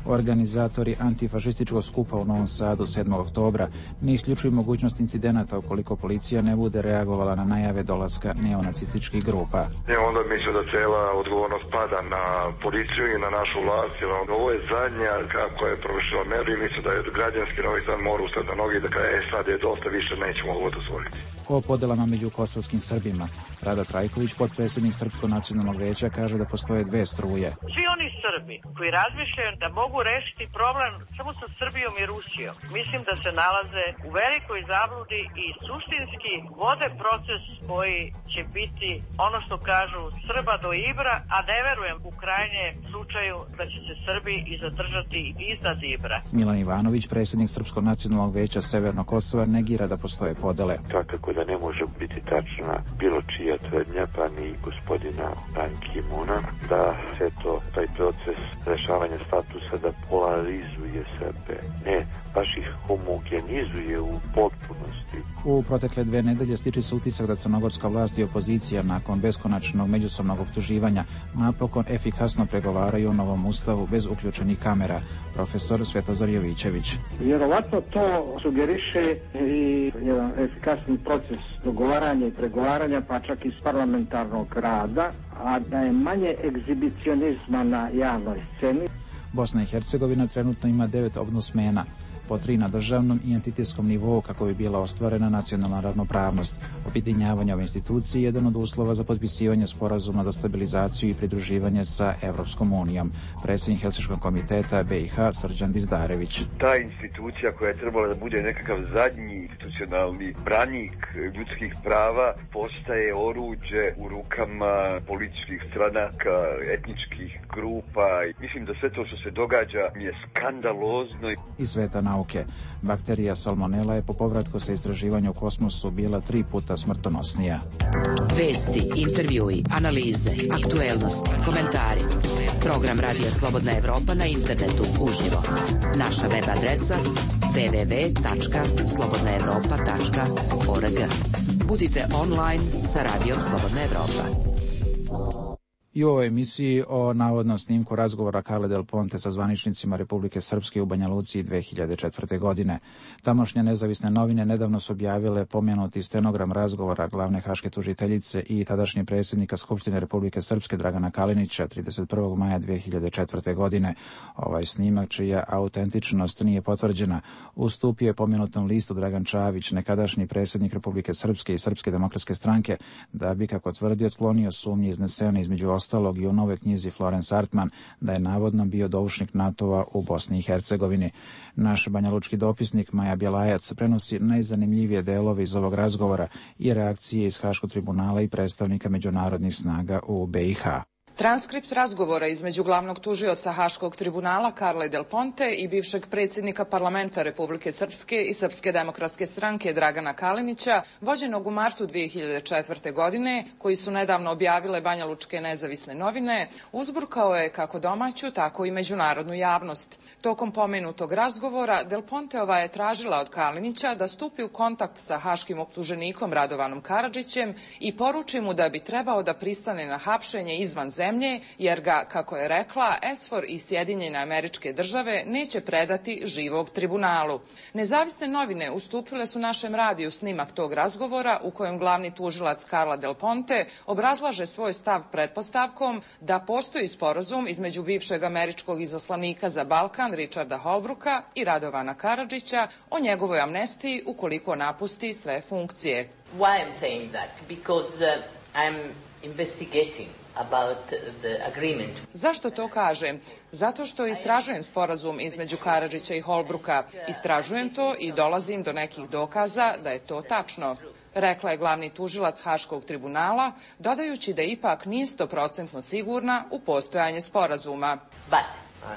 Organizatori antifašističkog skupa u Novom Sadu 7. oktobra ne isključuju mogućnost incidenata ukoliko policija ne bude reagovala na najave dolaska neonacističkih grupa. Onda mislim da cela odgovornost pada na policiju i na našu vlast, jer ovo je zadnja kako je provršila meru i mislim da je građanski Novi Sad mora ustati na nogi da kaže sad je dosta više, nećemo ovo dozvoliti. O podelama među kosovskim Srbima. Rada Trajković, potpredsjednik Srpskog nacionalnog veća, kaže da postoje dve struje. Svi oni Srbi koji razmišljaju da mogu rešiti problem samo sa Srbijom i Rusijom, mislim da se nalaze u velikoj zabludi i suštinski vode proces koji će biti ono što kažu Srba do Ibra, a ne verujem u krajnje slučaju da će se Srbi i zadržati iznad Ibra. Milan Ivanović, predsjednik Srpskog nacionalnog veća Severnog Kosova, negira da postoje podele. Svakako da ne može biti tačna bilo čija tvrdnja, pa ni gospodina Ban Ki-moona, da sve to, taj proces rešavanja statusa da polarizuje Srbe. Ne, baš ih homogenizuje u potpunosti. U protekle 2 nedelje stiče se utisak da crnogorska vlast i opozicija nakon beskonačnog međusobnog optuživanja napokon efikasno pregovaraju o novom ustavu bez uključenih kamera. Profesor Svetozar Jovićević. Vjerovatno to sugeriše i jedan efikasni proces dogovaranja i pregovaranja, pa čak iz parlamentarnog rada, a da je manje egzibicionizma na javnoj sceni. Bosna i Hercegovina trenutno ima 9 ombudsmena, po 3 na državnom i entitetskom nivou kako bi bila ostvarena nacionalna ravnopravnost. Objedinjavanje ove institucije je jedan od uslova za potpisivanje sporazuma za stabilizaciju i pridruživanje sa Evropskom unijom. Predsjednik Helsinškog komiteta BiH Srđan Dizdarević. Ta institucija koja je trebala da bude nekakav zadnji institucionalni branik ljudskih prava postaje oruđe u rukama političkih stranaka, etničkih grupa. Mislim da sve to što se događa je skandalozno. Iz sveta nauke. Bakterija salmonela je po povratku sa istraživanja u kosmosu bila 3 puta smrtonosnija. Vesti, intervjui, analize, aktuelnosti, komentari. Program Radija Slobodna Evropa na internetu uživo. Naša web adresa www.slobodnaevropa.org. Budite online sa Radijom Slobodna Evropa. I u ovoj emisiji o navodnom snimku razgovora Carle Del Ponte sa zvaničnicima Republike Srpske u Banja Luci 2004. godine. Tamošnje nezavisne novine nedavno su objavile pomenuti stenogram razgovora glavne haške tužiteljice i tadašnje predsjednika Skupštine Republike Srpske Dragana Kalinića 31. maja 2004. godine. Ovaj snimak, čija autentičnost nije potvrđena, ustupio je pomenutom listu Dragan Čavić, nekadašnji predsjednik Republike Srpske i Srpske demokratske stranke, da bi, kako tvrdi, otklonio sumnje iznesene između ostalog i u novoj knjizi Florence Artman da je navodno bio doušnik NATO-a u Bosni i Hercegovini. Naš banjalučki dopisnik Maja Bjelajac prenosi najzanimljivije delove iz ovog razgovora i reakcije iz Haškog tribunala i predstavnika međunarodnih snaga u BiH. Transkript razgovora između glavnog tužioca Haškog tribunala Carle Del Ponte i bivšeg predsjednika parlamenta Republike Srpske i Srpske demokratske stranke Dragana Kalinića, vođenog u martu 2004. godine, koji su nedavno objavile banjalučke nezavisne novine, uzburkao je kako domaću, tako i međunarodnu javnost. Tokom pomenutog razgovora Del Ponteova je tražila od Kalinića da stupi u kontakt sa haškim optuženikom Radovanom Karadžićem i poruči mu da bi trebao da pristane na hapšenje izvan zemlje, jer ga, kako je rekla, SFOR i Sjedinjene Američke Države neće predati živog tribunalu. Nezavisne novine ustupile su našem radiju snimak tog razgovora u kojem glavni tužilac Carle Del Ponte obrazlaže svoj stav pretpostavkom da postoji sporazum između bivšeg američkog izaslanika za Balkan Richarda Holbrooka i Radovana Karadžića o njegovoj amnestiji ukoliko napusti sve funkcije. Why I'm saying that? Because I'm investigating about the agreement. Zašto to kažem? Zato što istražujem sporazum između Karadžića i Holbrooka. Istražujem to i dolazim do nekih dokaza da je to tačno. rekla je glavni tužilac Haškog tribunala, dodajući da ipak nije 100% sigurna u postojanje sporazuma.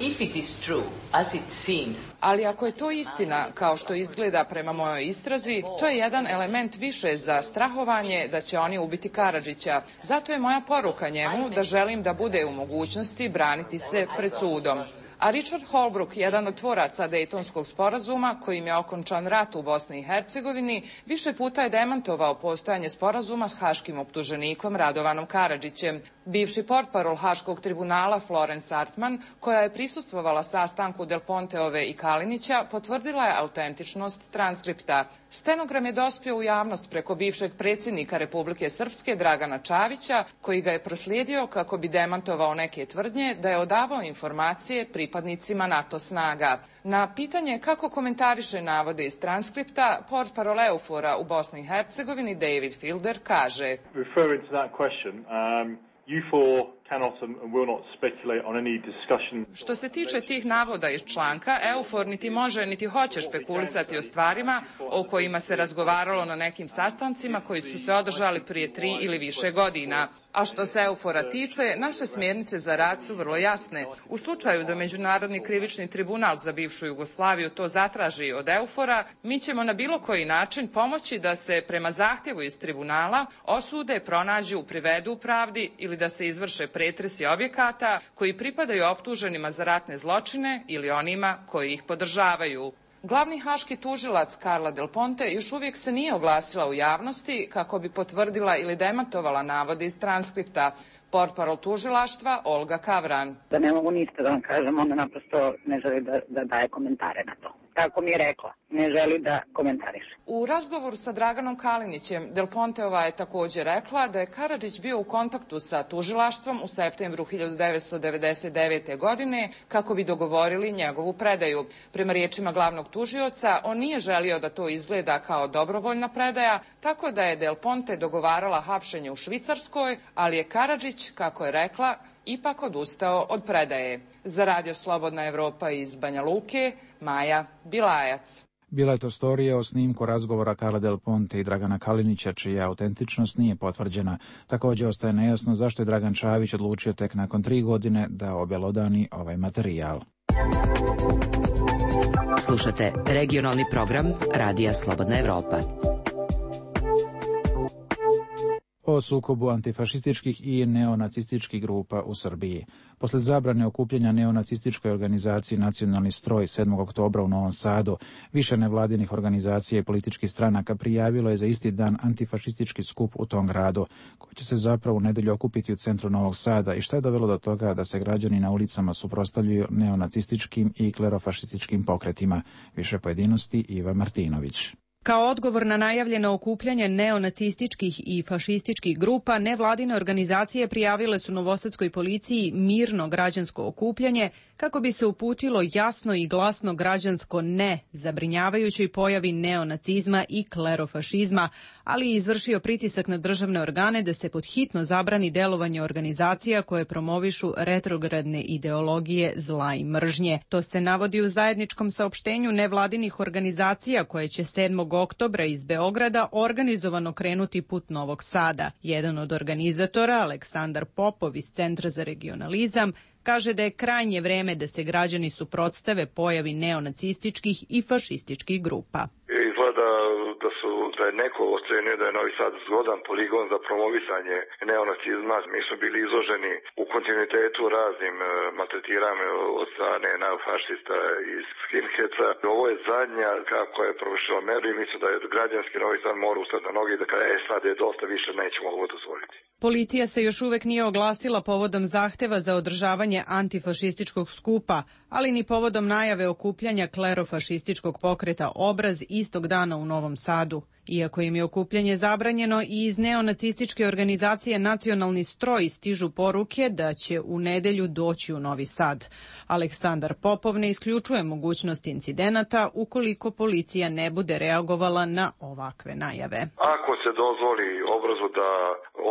If it is true, as it seems. Ali ako je to istina, kao što izgleda prema mojoj istrazi, to je jedan element više za strahovanje da će oni ubiti Karadžića. Zato je moja poruka njemu da želim da bude u mogućnosti braniti se pred sudom. A Richard Holbrooke, jedan od tvoraca Dejtonskog sporazuma, kojim je okončan rat u Bosni i Hercegovini, više puta je demantovao postojanje sporazuma s haškim optuženikom Radovanom Karadžićem. Bivši portparol Haškog tribunala Florence Artman, koja je prisustvovala sastanku Del Ponteove i Kalinića, potvrdila je autentičnost transkripta. Stenogram je dospio u javnost preko bivšeg predsjednika Republike Srpske Dragana Čavića, koji ga je proslijedio kako bi demantovao neke tvrdnje da je odavao informacije pripadnicima NATO snaga. Na pitanje kako komentariše navode iz transkripta, portparol EUFOR-a u Bosni i Hercegovini David Fielder kaže: Što se tiče tih navoda iz članka, EUFOR niti može niti hoće špekulisati o stvarima o kojima se razgovaralo na nekim sastancima koji su se održali prije 3 ili više godina. A što se EUFOR-a tiče, naše smjernice za rad su vrlo jasne. U slučaju da Međunarodni krivični tribunal za bivšu Jugoslaviju to zatraži od EUFOR-a, mi ćemo na bilo koji način pomoći da se prema zahtjevu iz tribunala osude, pronađu, privedu pravdi ili da se izvrše pretresi objekata koji pripadaju optuženima za ratne zločine ili onima koji ih podržavaju. Glavni haški tužilac Carla Del Ponte još uvijek se nije oglasila u javnosti kako bi potvrdila ili demantovala navode iz transkripta. Portparol tužilaštva Olga Kavran. Da ne mogu ništa da vam kažem, ona naprosto ne želi da daje komentare na to. Tako mi je rekla, ne želi da komentariše. U razgovoru sa Draganom Kalinićem, Del Ponteova je također rekla da je Karadžić bio u kontaktu sa tužilaštvom u septembru 1999. godine kako bi dogovorili njegovu predaju. Prema riječima glavnog tužioca, on nije želio da to izgleda kao dobrovoljna predaja, tako da je Del Ponte dogovarala hapšenje u Švicarskoj, ali je Karadžić, kako je rekla, ipak odustao od predaje. Za Radio Slobodna Evropa iz Banja Luke, Maja Bilajac. Bila je to storija o snimku razgovora Carla Del Ponte i Dragana Kalinića, čija autentičnost nije potvrđena. Također ostaje nejasno zašto je Dragan Čavić odlučio tek nakon 3 godine da objelodani ovaj materijal. Slušate regionalni program Radija Slobodna Evropa. O sukobu antifašističkih i neonacističkih grupa u Srbiji. Posle zabrane okupljanja neonacističkoj organizaciji Nacionalni stroj 7. oktobra u Novom Sadu, više nevladinih organizacija i političkih stranaka prijavilo je za isti dan antifašistički skup u tom gradu, koji će se zapravo u nedjelju okupiti u centru Novog Sada i što je dovelo do toga da se građani na ulicama suprotstavljaju neonacističkim i klerofašističkim pokretima. Više pojedinosti Iva Martinović. Kao odgovor na najavljeno okupljanje neonacističkih i fašističkih grupa, nevladine organizacije prijavile su novosadskoj policiji mirno građansko okupljanje kako bi se uputilo jasno i glasno građansko ne zabrinjavajućoj pojavi neonacizma i klerofašizma, ali i izvršio pritisak na državne organe da se podhitno zabrani delovanje organizacija koje promovišu retrogradne ideologije zla i mržnje. To se navodi u zajedničkom saopštenju nevladinih organizacija koje će 7. oktobra iz Beograda organizovano krenuti put Novog Sada. Jedan od organizatora, Aleksandar Popov iz Centra za regionalizam, kaže da je krajnje vreme da se građani suprotstave pojavi neonacističkih i fašističkih grupa. Izgleda da je neko ocenio da je Novi Sad zgodan poligon za promovisanje neonacizma. Mi smo bili izloženi u kontinuitetu raznim maltretiranjima od strane neofašista i skinheads. Ovo je zadnja kako je provršila meru i mislim da je građanski Novi Sad mora ustati na noge i da kada sad je dosta više nećemo ovo dozvoliti. Policija se još uvek nije oglasila povodom zahteva za održavanje antifašističkog skupa, ali ni povodom najave okupljanja klerofašističkog pokreta Obraz istog dana u Novom Sadu. Iako im je okupljanje zabranjeno, i iz neonacističke organizacije Nacionalni stroj stižu poruke da će u nedelju doći u Novi Sad. Aleksandar Popov ne isključuje mogućnost incidenata ukoliko policija ne bude reagovala na ovakve najave. Ako se dozvoli Obrazu da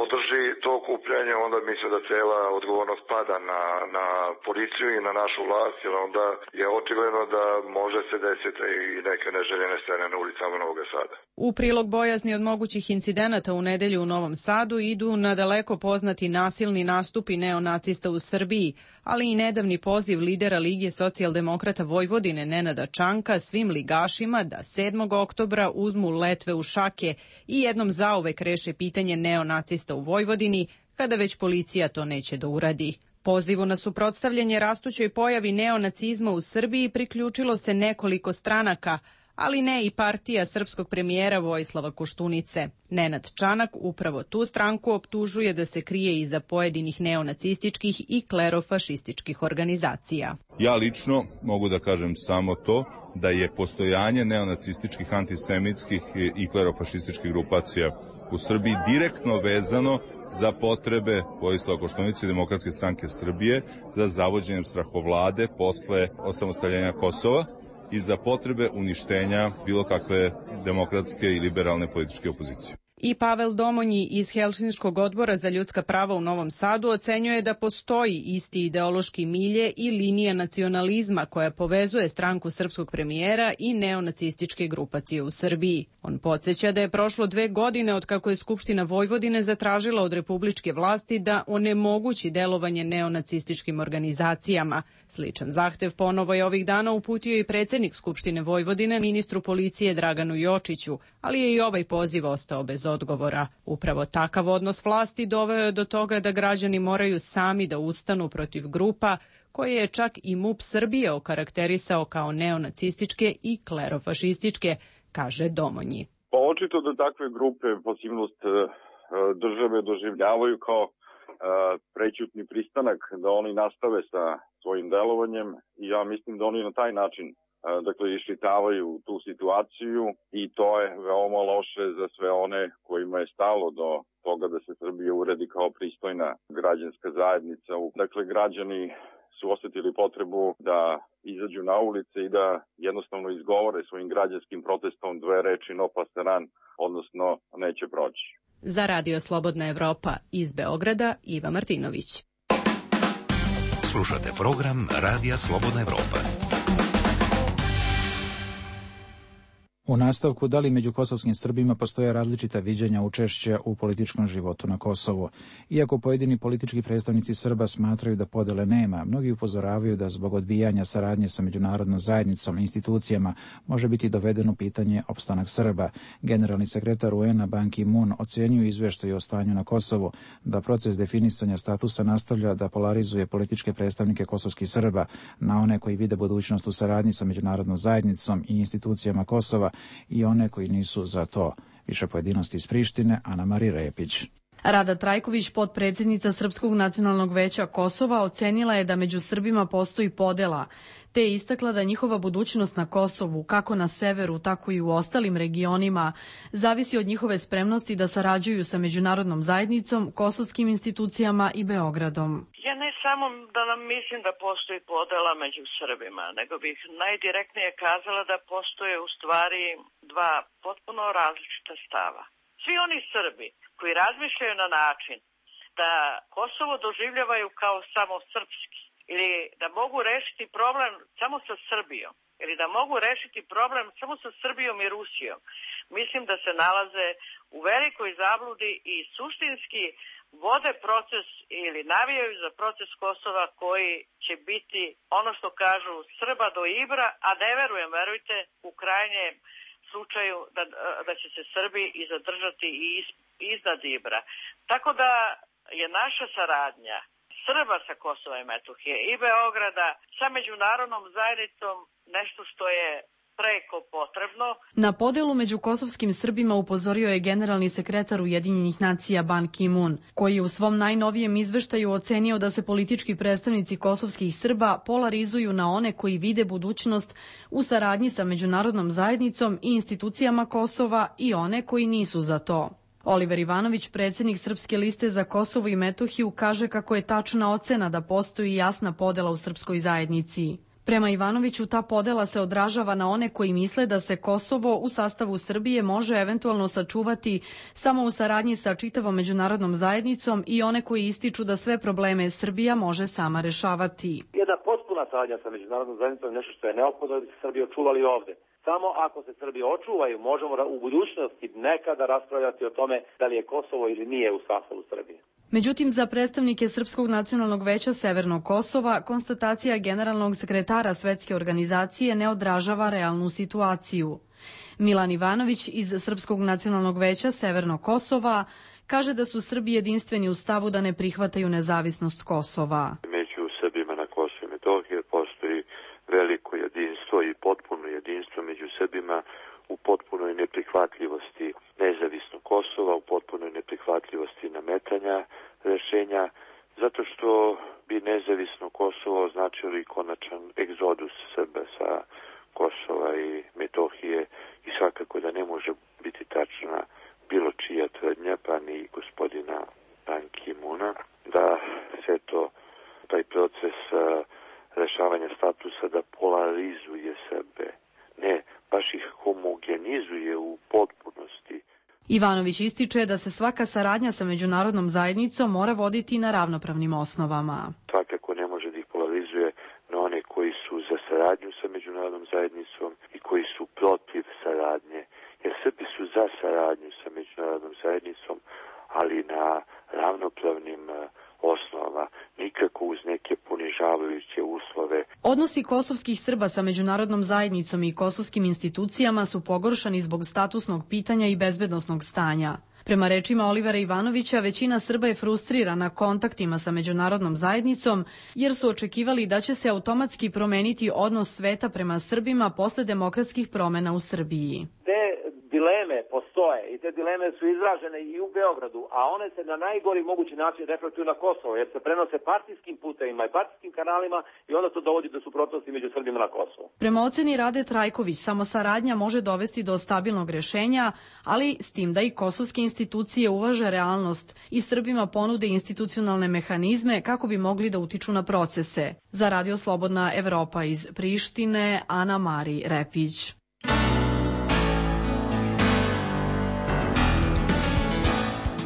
održi to okupljanje, onda mislim da cela odgovornost pada na policiju i na našu vlast, jer onda je očigledno da može se desiti i neke neželjene scene na ulicama Novog Sada. U prilog bojazni od mogućih incidenata u nedelju u Novom Sadu idu nadaleko poznati nasilni nastupi neonacista u Srbiji, ali i nedavni poziv lidera Lige socijaldemokrata Vojvodine Nenada Čanka svim ligašima da 7. oktobra uzmu letve u šake i jednom zauvek reše pitanje neonacista u Vojvodini, kada već policija to neće da uradi. Pozivu na suprotstavljanje rastućoj pojavi neonacizma u Srbiji priključilo se nekoliko stranaka, ali ne i partija srpskog premijera Vojislava Koštunice. Nenad Čanak upravo tu stranku optužuje da se krije iza pojedinih neonacističkih i klerofašističkih organizacija. Ja lično mogu da kažem samo to da je postojanje neonacističkih, antisemitskih i klerofašističkih grupacija u Srbiji direktno vezano za potrebe Vojislava Koštunice i Demokratske stranke Srbije za zavođenjem strahovlade posle osamostaljenja Kosova i za potrebe uništenja bilo kakve demokratske i liberalne političke opozicije. I Pavel Domonji iz Helsinškog odbora za ljudska prava u Novom Sadu ocenjuje da postoji isti ideološki milje i linija nacionalizma koja povezuje stranku srpskog premijera i neonacističke grupacije u Srbiji. On podsjeća da je prošlo 2 godine od kako je Skupština Vojvodine zatražila od republičke vlasti da onemogući delovanje neonacističkim organizacijama. Sličan zahtev ponovo je ovih dana uputio i predsjednik Skupštine Vojvodine ministru policije Draganu Jočiću, ali je i ovaj poziv ostao bez odgovora. Upravo takav odnos vlasti doveo je do toga da građani moraju sami da ustanu protiv grupa koje je čak i MUP Srbije okarakterisao kao neonacističke i klerofašističke, kaže Domonji. Pa očito da takve grupe pasivnost države doživljavaju kao prećutni pristanak da oni nastave sa svojim delovanjem i ja mislim da oni na taj način iščitavaju tu situaciju i to je veoma loše za sve one kojima je stalo do toga da se Srbija uredi kao pristojna građanska zajednica. Dakle, građani su osjetili potrebu da izađu na ulice i da jednostavno izgovore svojim građanskim protestom 2 reči no pasaran, odnosno neće proći. Za Radio Slobodna Evropa iz Beograda, Iva Martinović. Slušate program Radija Slobodna Evropa. U nastavku, da li među kosovskim Srbima postoje različita viđenja učešća u političkom životu na Kosovu? Iako pojedini politički predstavnici Srba smatraju da podele nema, mnogi upozoravaju da zbog odbijanja saradnje sa međunarodnom zajednicom i institucijama može biti dovedeno pitanje opstanak Srba. Generalni sekretar UN-a Ban Ki-moon ocenio izveštaj o stanju na Kosovu da proces definisanja statusa nastavlja da polarizuje političke predstavnike kosovskih Srba na one koji vide budućnost u saradnji sa međunarodnom zajednicom i institucijama Kosova i one koji nisu za to. Više pojedinosti iz Prištine, Ana Marija Repić. Rada Trajković, potpredsjednica Srpskog nacionalnog veća Kosova, ocenila je da među Srbima postoji podela, te je istakla da njihova budućnost na Kosovu, kako na severu, tako i u ostalim regionima, zavisi od njihove spremnosti da sarađuju sa međunarodnom zajednicom, kosovskim institucijama i Beogradom. Ja ne samo da nam mislim da postoji podela među Srbima, nego bih najdirektnije kazala da postoje u stvari 2 potpuno različita stava. Svi oni Srbi koji razmišljaju na način da Kosovo doživljavaju kao samo srpski ili da mogu rešiti problem samo sa Srbijom ili da mogu rešiti problem samo sa Srbijom i Rusijom, mislim da se nalaze u velikoj zabludi i suštinski vode proces ili navijaju za proces Kosova koji će biti ono što kažu Srba do Ibra, a ne verujem, verujte, u krajnjem slučaju da će se Srbi i zadržati i iznad Ibra. Tako da je naša saradnja Srba sa Kosova i Metohije i Beograda sa međunarodnom zajednicom nešto što je preko potrebno. Na podelu među kosovskim Srbima upozorio je generalni sekretar Ujedinjenih nacija Ban Ki-moon, koji je u svom najnovijem izveštaju ocenio da se politički predstavnici kosovskih Srba polarizuju na one koji vide budućnost u saradnji sa međunarodnom zajednicom i institucijama Kosova i one koji nisu za to. Oliver Ivanović, predsjednik Srpske liste za Kosovo i Metohiju, kaže kako je tačna ocena da postoji jasna podela u srpskoj zajednici. Prema Ivanoviću, ta podela se odražava na one koji misle da se Kosovo u sastavu Srbije može eventualno sačuvati samo u saradnji sa čitavom međunarodnom zajednicom i one koji ističu da sve probleme Srbija može sama rešavati. Jedna potpuna saradnja sa međunarodnom zajednicom je nešto što je neophodno da bi se Srbija očuvali ovde. Samo ako se Srbija očuvaju, možemo u budućnosti nekada raspravljati o tome da li je Kosovo ili nije u sastavu Srbije. Međutim, za predstavnike Srpskog nacionalnog veća Severnog Kosova, konstatacija generalnog sekretara Svetske organizacije ne odražava realnu situaciju. Milan Ivanović iz Srpskog nacionalnog veća Severnog Kosova kaže da su Srbi jedinstveni u stavu da ne prihvataju nezavisnost Kosova. Među Srbima na Kosovu i Metohiji postoji veliko jedinstvo i potpuno jedinstvo među Srbima u potpunoj neprihvatljivosti nezavisnog Kosova, u potpunoj neprihvatljivosti nametanja rešenja, zato što bi nezavisno Kosovo označilo i konačan egzodus Srba sa Kosova i Metohije i svakako da ne može biti tačna bilo čija tvrdnja, pa ni gospodina Ban Ki-moona, da se taj proces rešavanja statusa da polarizuje Srbe. Ne, baš ih homogenizuje u potpunosti. Ivanović ističe da se svaka saradnja sa međunarodnom zajednicom mora voditi na ravnopravnim osnovama. Svakako ne može da ih polarizuje na one koji su za saradnju sa međunarodnom zajednicom i koji su protiv saradnje. Jer Srbi su za saradnju sa međunarodnom zajednicom, ali na ravnopravnim osnovama, nikako uz neke ponižavajuće uslove. Odnosi kosovskih Srba sa međunarodnom zajednicom i kosovskim institucijama su pogoršani zbog statusnog pitanja i bezbednosnog stanja. Prema rečima Olivera Ivanovića, većina Srba je frustrirana kontaktima sa međunarodnom zajednicom jer su očekivali da će se automatski promeniti odnos sveta prema Srbima posle demokratskih promena u Srbiji. Dileme postoje i te dileme su izražene i u Beogradu, a one se na najgori mogući način reflektuju na Kosovo, jer se prenose partijskim putevima i partijskim kanalima i onda to dovodi do suprotnosti među Srbima na Kosovo. Prema oceni Rade Trajković, samo saradnja može dovesti do stabilnog rešenja, ali s tim da i kosovske institucije uvaže realnost i Srbima ponude institucionalne mehanizme kako bi mogli da utiču na procese. Za Radio Slobodna Evropa iz Prištine, Ana Mari Repić.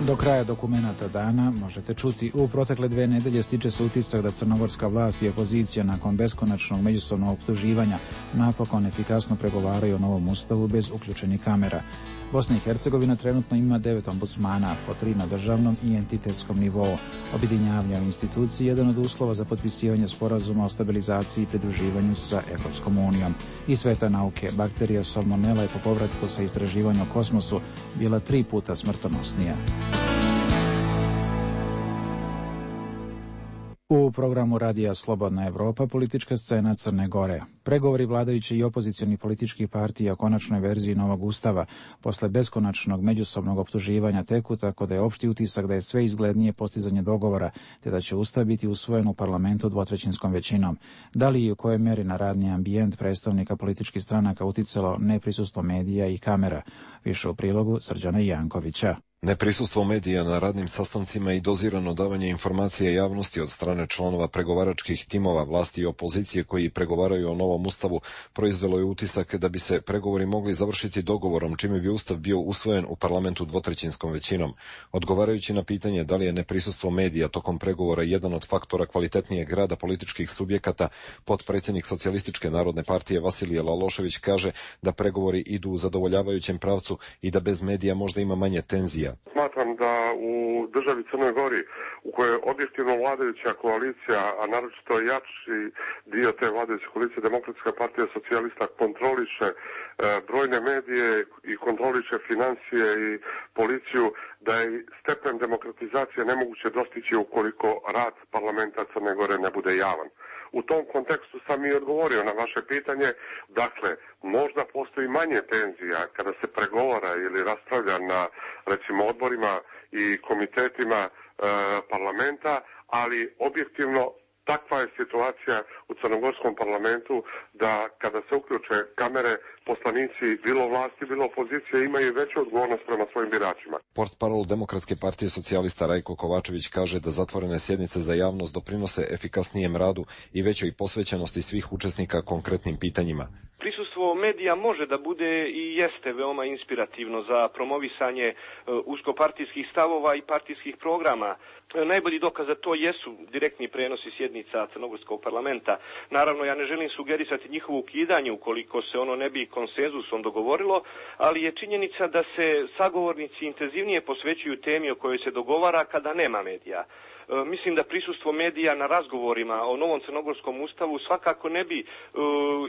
Do kraja dokumenata dana možete čuti: u protekle 2 nedelje stiče se utisak da crnogorska vlast i opozicija nakon beskonačnog međusobnog optuživanja napokon efikasno pregovaraju o novom ustavu bez uključenih kamera. Bosna i Hercegovina trenutno ima 9 ombudsmana, po 3 na državnom i entitetskom nivou. Objedinjavanje u instituciji je jedan od uslova za potpisivanje sporazuma o stabilizaciji i pridruživanju sa Evropskom unijom. I sveta nauke, bakterija salmonela je po povratku sa istraživanja o kosmosu bila 3 puta smrtonosnija. U programu Radija Slobodna Evropa politička scena Crne Gore. Pregovori vladajuće i opozicionih političkih partija o konačnoj verziji novog ustava posle beskonačnog međusobnog optuživanja teku, tako da je opšti utisak da je sve izglednije postizanje dogovora, te da će ustav biti usvojen u parlamentu 2/3 većinom. Da li i u kojoj meri na radni ambijent predstavnika političkih stranaka uticalo neprisustvo medija i kamera? Više u prilogu Srđana Jankovića. Neprisustvo medija na radnim sastancima i dozirano davanje informacije javnosti od strane članova pregovaračkih timova vlasti i opozicije koji pregovaraju o novom ustavu proizvelo je utisak da bi se pregovori mogli završiti dogovorom, čime bi ustav bio usvojen u parlamentu 2/3 većinom. Odgovarajući na pitanje da li je neprisustvo medija tokom pregovora jedan od faktora kvalitetnijeg rada političkih subjekata, potpredsjednik Socijalističke narodne partije Vasilije Lalošević kaže da pregovori idu u zadovoljavajućem pravcu i da bez medija možda ima manje tenzija. Smatram da u državi Crnoj Gori, u kojoj objektivno vladajuća koalicija, a naročito jači dio te vladajuće koalicije, Demokratska partija socijalista, kontroliše brojne medije i kontroliše financije i policiju, da je stepen demokratizacije nemoguće dostići ukoliko rad parlamenta Crne Gore ne bude javan. U tom kontekstu sam i odgovorio na vaše pitanje. Dakle, možda postoji manje tenzija kada se pregovara ili raspravlja na, recimo, odborima i komitetima parlamenta, ali objektivno takva je situacija u crnogorskom parlamentu da kada se uključe kamere poslanici, bilo vlasti, bilo opozicije, imaju veću odgovornost prema svojim biračima. Portparol Demokratske partije socijalista Rajko Kovačević kaže da zatvorene sjednice za javnost doprinose efikasnijem radu i većoj posvećenosti svih učesnika konkretnim pitanjima. Prisustvo medija može da bude i jeste veoma inspirativno za promovisanje uskopartijskih stavova i partijskih programa. Najbolji dokaz za to jesu direktni prenosi sjednica Crnogorskog parlamenta. Naravno, ja ne želim sugerisati njihovo ukidanje ukoliko se ono ne bi konsenzusom dogovorilo, ali je činjenica da se sagovornici intenzivnije posvećuju temi o kojoj se dogovara kada nema medija. Mislim da prisustvo medija na razgovorima o novom crnogorskom ustavu svakako ne bi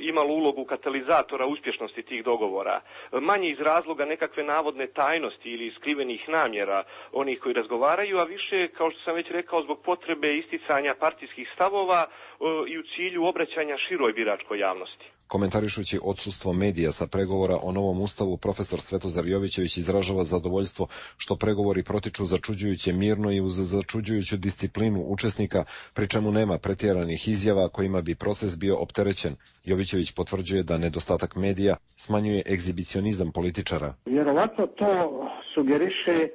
imalo ulogu katalizatora uspješnosti tih dogovora. Manje iz razloga nekakve navodne tajnosti ili skrivenih namjera onih koji razgovaraju, a više, kao što sam već rekao, zbog potrebe isticanja partijskih stavova i u cilju obraćanja široj biračkoj javnosti. Komentarišući odsustvo medija sa pregovora o novom ustavu, profesor Svetozar Jovićević izražava zadovoljstvo što pregovori protiču začuđujuće mirno i uz začuđujuću disciplinu učesnika, pri čemu nema pretjeranih izjava kojima bi proces bio opterećen. Jovićević potvrđuje da nedostatak medija smanjuje egzibicionizam političara. Vjerovatno to sugeriše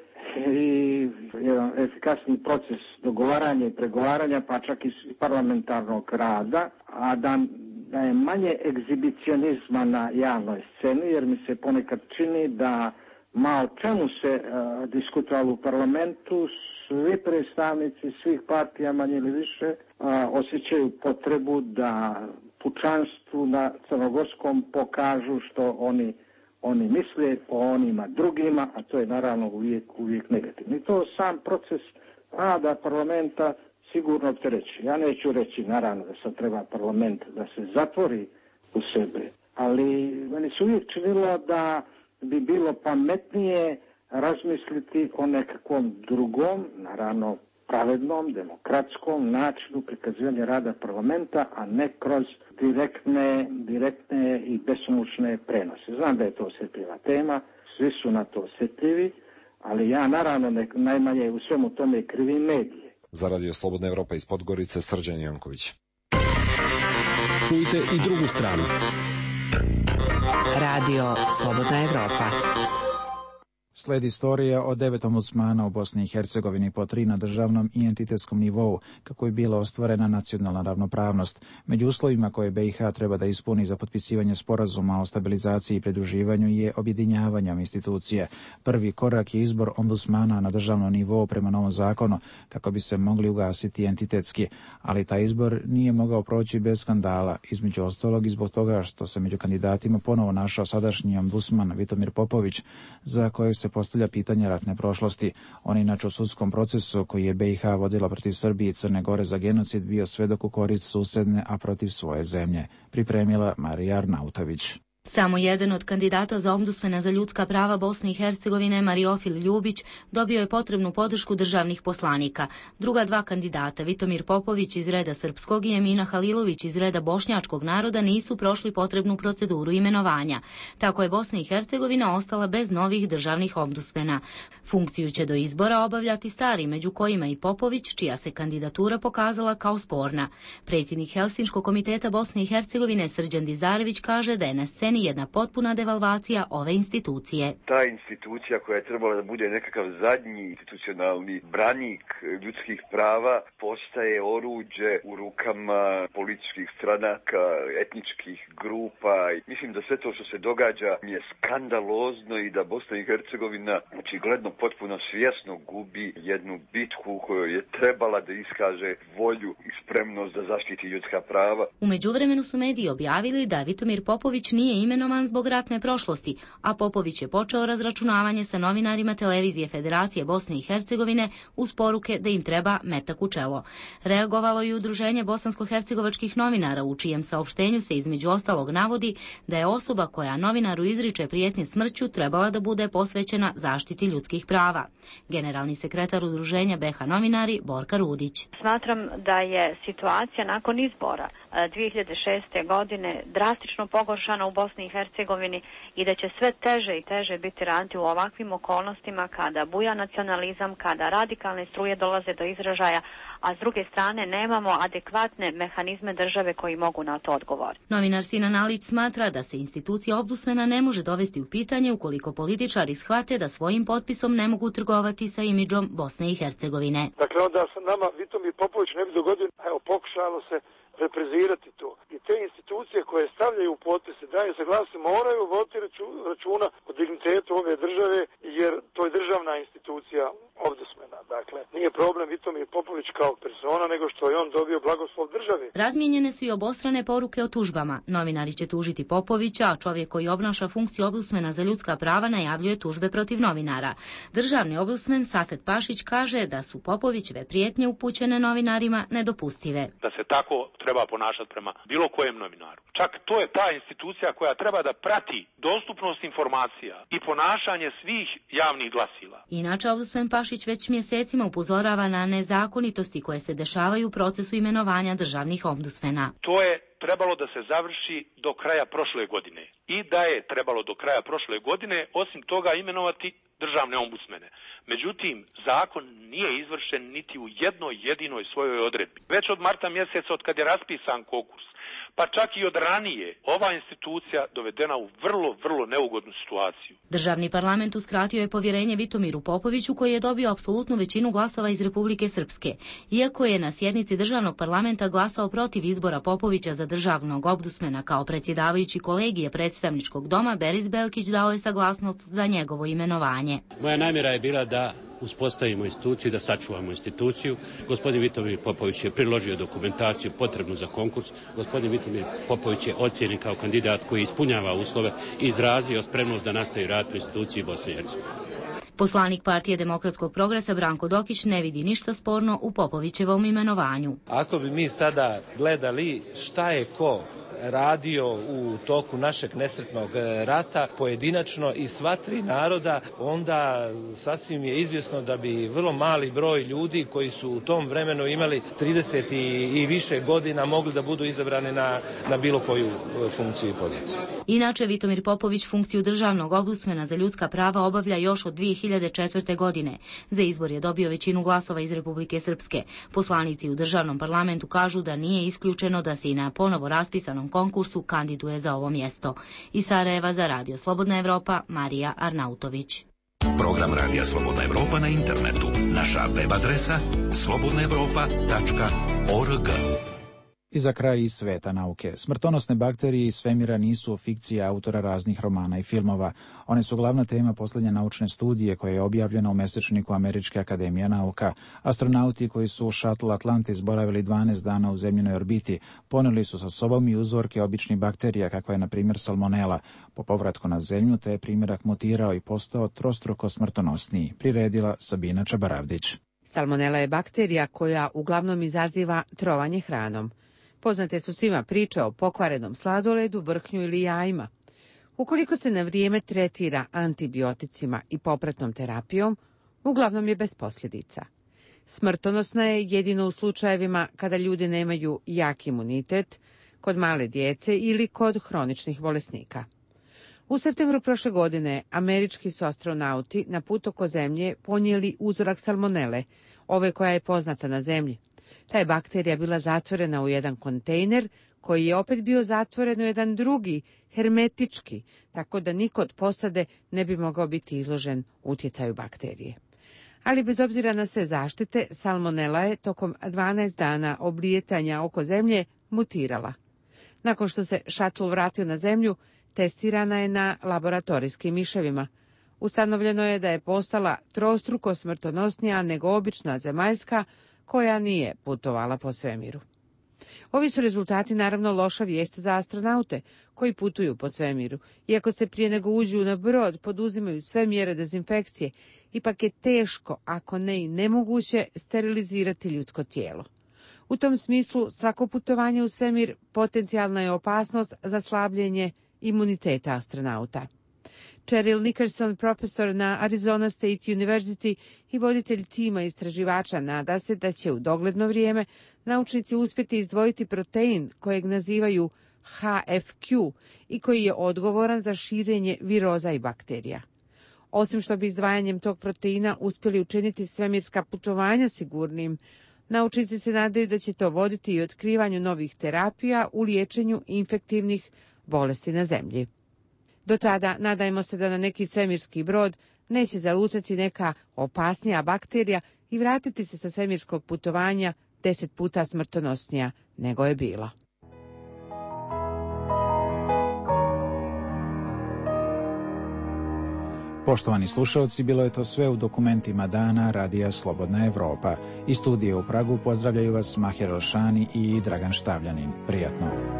i jedan efikasni proces dogovaranja i pregovaranja, pa čak i parlamentarnog rada, a da je manje egzibicionizma na javnoj sceni, jer mi se ponekad čini da malo čemu se diskutovalo u parlamentu, svi predstavnici svih partija manje ili više osjećaju potrebu da pučanstvu na crnogorskom pokažu što oni misle o onima drugima, a to je naravno uvijek negativno. I to sam proces rada parlamenta sigurno optereći. Ja neću reći naravno da sad treba parlament da se zatvori u sebe, ali meni se uvijek činilo da bi bilo pametnije razmisliti o nekakvom drugom, naravno pravednom, demokratskom načinu prikazivanja rada parlamenta, a ne kroz direktne i besomučne prenose. Znam da je to osjetljiva tema, svi su na to osjetljivi, ali ja naravno najmanje u svemu tome krivim medije. Za Radio Slobodna Evropa iz Podgorice, Srđan Janković. Čujte i drugu stranu. Radio Slobodna Evropa. Sledi istorija o 9 ombudsmana u Bosni i Hercegovini, po 3 na državnom i entitetskom nivou, kako je bila ostvarena nacionalna ravnopravnost. Među uslovima koje BiH treba da ispuni za potpisivanje sporazuma o stabilizaciji i pridruživanju je objedinjavanje institucije. Prvi korak je izbor ombudsmana na državnom nivou prema novom zakonu, kako bi se mogli ugasiti entitetski, ali taj izbor nije mogao proći bez skandala, između ostalog i zbog toga što se među kandidatima ponovo našao sadašnji ombudsman Vitomir Popović, za kojeg se postavlja pitanje ratne prošlosti. On inače u sudskom procesu koji je BiH vodila protiv Srbije i Crne Gore za genocid bio svedok u korist susedne, a protiv svoje zemlje. Pripremila Marija Arnautović. Samo jedan od kandidata za ombudsmana za ljudska prava Bosne i Hercegovine, Mariofil Ljubić, dobio je potrebnu podršku državnih poslanika. Druga dva kandidata, Vitomir Popović iz reda srpskog i Emina Halilović iz reda bošnjačkog naroda, nisu prošli potrebnu proceduru imenovanja. Tako je Bosna i Hercegovina ostala bez novih državnih ombudsmana. Funkciju će do izbora obavljati stari, među kojima i Popović, čija se kandidatura pokazala kao sporna. Predsjednik Helsinškog komiteta Bosne i Hercegovine Srđan Dizarević kaže da je na sceni jedna potpuna devalvacija ove institucije. Ta institucija koja je trebala da bude nekakav zadnji institucionalni branik ljudskih prava postaje oruđe u rukama političkih stranaka, etničkih grupa. Mislim da sve to što se događa je skandalozno i da Bosna i Hercegovina očigledno potpuno svjesno gubi jednu bitku u kojoj je trebala da iskaže volju i spremnost da zaštiti ljudska prava. U međuvremenu su mediji objavili da Vitomir Popović nije imenovan zbog ratne prošlosti, a Popović je počeo razračunavanje sa novinarima Televizije Federacije Bosne i Hercegovine uz poruke da im treba metak u čelo. Reagovalo i Udruženje bosansko-hercegovačkih novinara, u čijem saopštenju se između ostalog navodi da je osoba koja novinaru izriče prijetnje smrću trebala da bude posvećena zaštiti ljudskih prava. Generalni sekretar Udruženja BiH novinari Borka Rudić. Smatram da je situacija nakon izbora 2006. godine drastično pogoršana u Bosni i Hercegovini i da će sve teže i teže biti raditi u ovakvim okolnostima kada buja nacionalizam, kada radikalne struje dolaze do izražaja, a s druge strane nemamo adekvatne mehanizme države koji mogu na to odgovoriti. Novinar Sinan Alić smatra da se institucija ombudsmana ne može dovesti u pitanje ukoliko političari shvate da svojim potpisom ne mogu trgovati sa imidžom Bosne i Hercegovine. Dakle, onda se nama Vitomir Popović ne bi dogodio, pokušalo se reprezirati to. I te institucije koje stavljaju potpise, daju se glasi, moraju voditi računa o dignitetu ove države, jer to je državna institucija ombudsmana. Dakle, nije problem Vitomir Popović kao persona, nego što je on dobio blagoslov države. Razmijenjene su i obostrane poruke o tužbama. Novinari će tužiti Popovića, a čovjek koji obnaša funkciju ombudsmana za ljudska prava najavljuje tužbe protiv novinara. Državni ombudsman Safet Pašić kaže da su Popovićeve prijetnje upućene novinarima nedopustive. Da se tako treba ponašati prema bilo kojem novinaru. Čak to je ta institucija koja treba da prati dostupnost informacija i ponašanje svih javnih glasila. Inače, ombudsman Pašić već mjesecima upozorava na nezakonitosti koje se dešavaju u procesu imenovanja državnih ombudsmana. To je trebalo da se završi do kraja prošle godine i da je trebalo do kraja prošle godine osim toga imenovati državne ombudsmene. Međutim, zakon nije izvršen niti u jednoj jedinoj svojoj odredbi. Već od marta mjeseca, od kad je raspisan konkurs, pa čak i od ranije, ova institucija dovedena u vrlo neugodnu situaciju. Državni parlament uskratio je povjerenje Vitomiru Popoviću koji je dobio apsolutnu većinu glasova iz Republike Srpske. Iako je na sjednici državnog parlamenta glasao protiv izbora Popovića za državnog ombudsmana kao predsjedavajući kolegije predstavničkog doma, Beris Belkić dao je saglasnost za njegovo imenovanje. Moja namjera je bila da uspostavimo instituciju, da sačuvamo instituciju. Gospodin Vitomir Popović je priložio dokumentaciju potrebnu za konkurs. Gospodin Vitomir Popović je ocijenjen kao kandidat koji ispunjava uslove i izrazio spremnost da nastavi rad u instituciji Bosne i Hercegovine. Poslanik Partije demokratskog progresa Branko Dokić ne vidi ništa sporno u Popovićevom imenovanju. Ako bi mi sada gledali šta je ko radio u toku našeg nesretnog rata pojedinačno i sva tri naroda, onda sasvim je izvjesno da bi vrlo mali broj ljudi koji su u tom vremenu imali 30 i više godina mogli da budu izabrani na bilo koju funkciju i poziciju. Inače, Vitomir Popović funkciju državnog ombudsmana za ljudska prava obavlja još od 2004. godine. Za izbor je dobio većinu glasova iz Republike Srpske. Poslanici u državnom parlamentu kažu da nije isključeno da se i na ponovo raspisanom konkursu kandiduje za ovo mjesto. Iz Sarajeva za Radio Slobodna Evropa, Marija Arnautović. Program Radija Slobodna Evropa na internetu. Naša web adresa slobodnaevropa.org. I za kraj iz sveta nauke. Smrtonosne bakterije iz svemira nisu fikcija autora raznih romana i filmova. One su glavna tema posljednje naučne studije koja je objavljena u mesečniku Američke akademije nauka. Astronauti koji su u Shuttle Atlantis boravili 12 dana u zemljinoj orbiti poneli su sa sobom i uzorke običnih bakterija kakva je na primjer salmonela. Po povratku na zemlju te je primjerak mutirao i postao trostruko smrtonosniji, priredila Sabina Čabaravdić. Salmonela je bakterija koja uglavnom izaziva trovanje hranom. Poznate su svima priče o pokvarenom sladoledu, vrhnju ili jajima. Ukoliko se na vrijeme tretira antibioticima i popratnom terapijom, uglavnom je bez posljedica. Smrtonosna je jedino u slučajevima kada ljudi nemaju jak imunitet, kod male djece ili kod hroničnih bolesnika. U septembru prošle godine američki su astronauti na put oko zemlje ponijeli uzorak salmonele, ove koja je poznata na zemlji. Ta je bakterija bila zatvorena u jedan kontejner koji je opet bio zatvoren u jedan drugi, hermetički, tako da niko od posade ne bi mogao biti izložen utjecaju bakterije. Ali bez obzira na sve zaštite, salmonela je tokom 12 dana oblijetanja oko zemlje mutirala. Nakon što se šatl vratio na zemlju, testirana je na laboratorijskim miševima. Ustanovljeno je da je postala trostruko smrtonosnija nego obična zemaljska, koja nije putovala po svemiru. Ovi su rezultati naravno loša vijest za astronaute koji putuju po svemiru. Iako se prije nego uđu na brod poduzimaju sve mjere dezinfekcije, ipak je teško, ako ne i nemoguće, sterilizirati ljudsko tijelo. U tom smislu svako putovanje u svemir potencijalna je opasnost za slabljenje imuniteta astronauta. Cheryl Nickerson, profesor na Arizona State University i voditelj tima istraživača, nada se da će u dogledno vrijeme naučnici uspjeti izdvojiti protein kojeg nazivaju HFQ i koji je odgovoran za širenje viroza i bakterija. Osim što bi izdvajanjem tog proteina uspjeli učiniti svemirska putovanja sigurnim, naučnici se nadaju da će to voditi i otkrivanju novih terapija u liječenju infektivnih bolesti na Zemlji. Do tada nadajmo se da na neki svemirski brod neće zalutati neka opasnija bakterija i vratiti se sa svemirskog putovanja 10 puta smrtonosnija nego je bila. Poštovani slušalci, bilo je to sve u dokumentima dana Radija Slobodna Evropa. Iz studije u Pragu pozdravljaju vas Mahir Elšani i Dragan Štavljanin. Prijatno.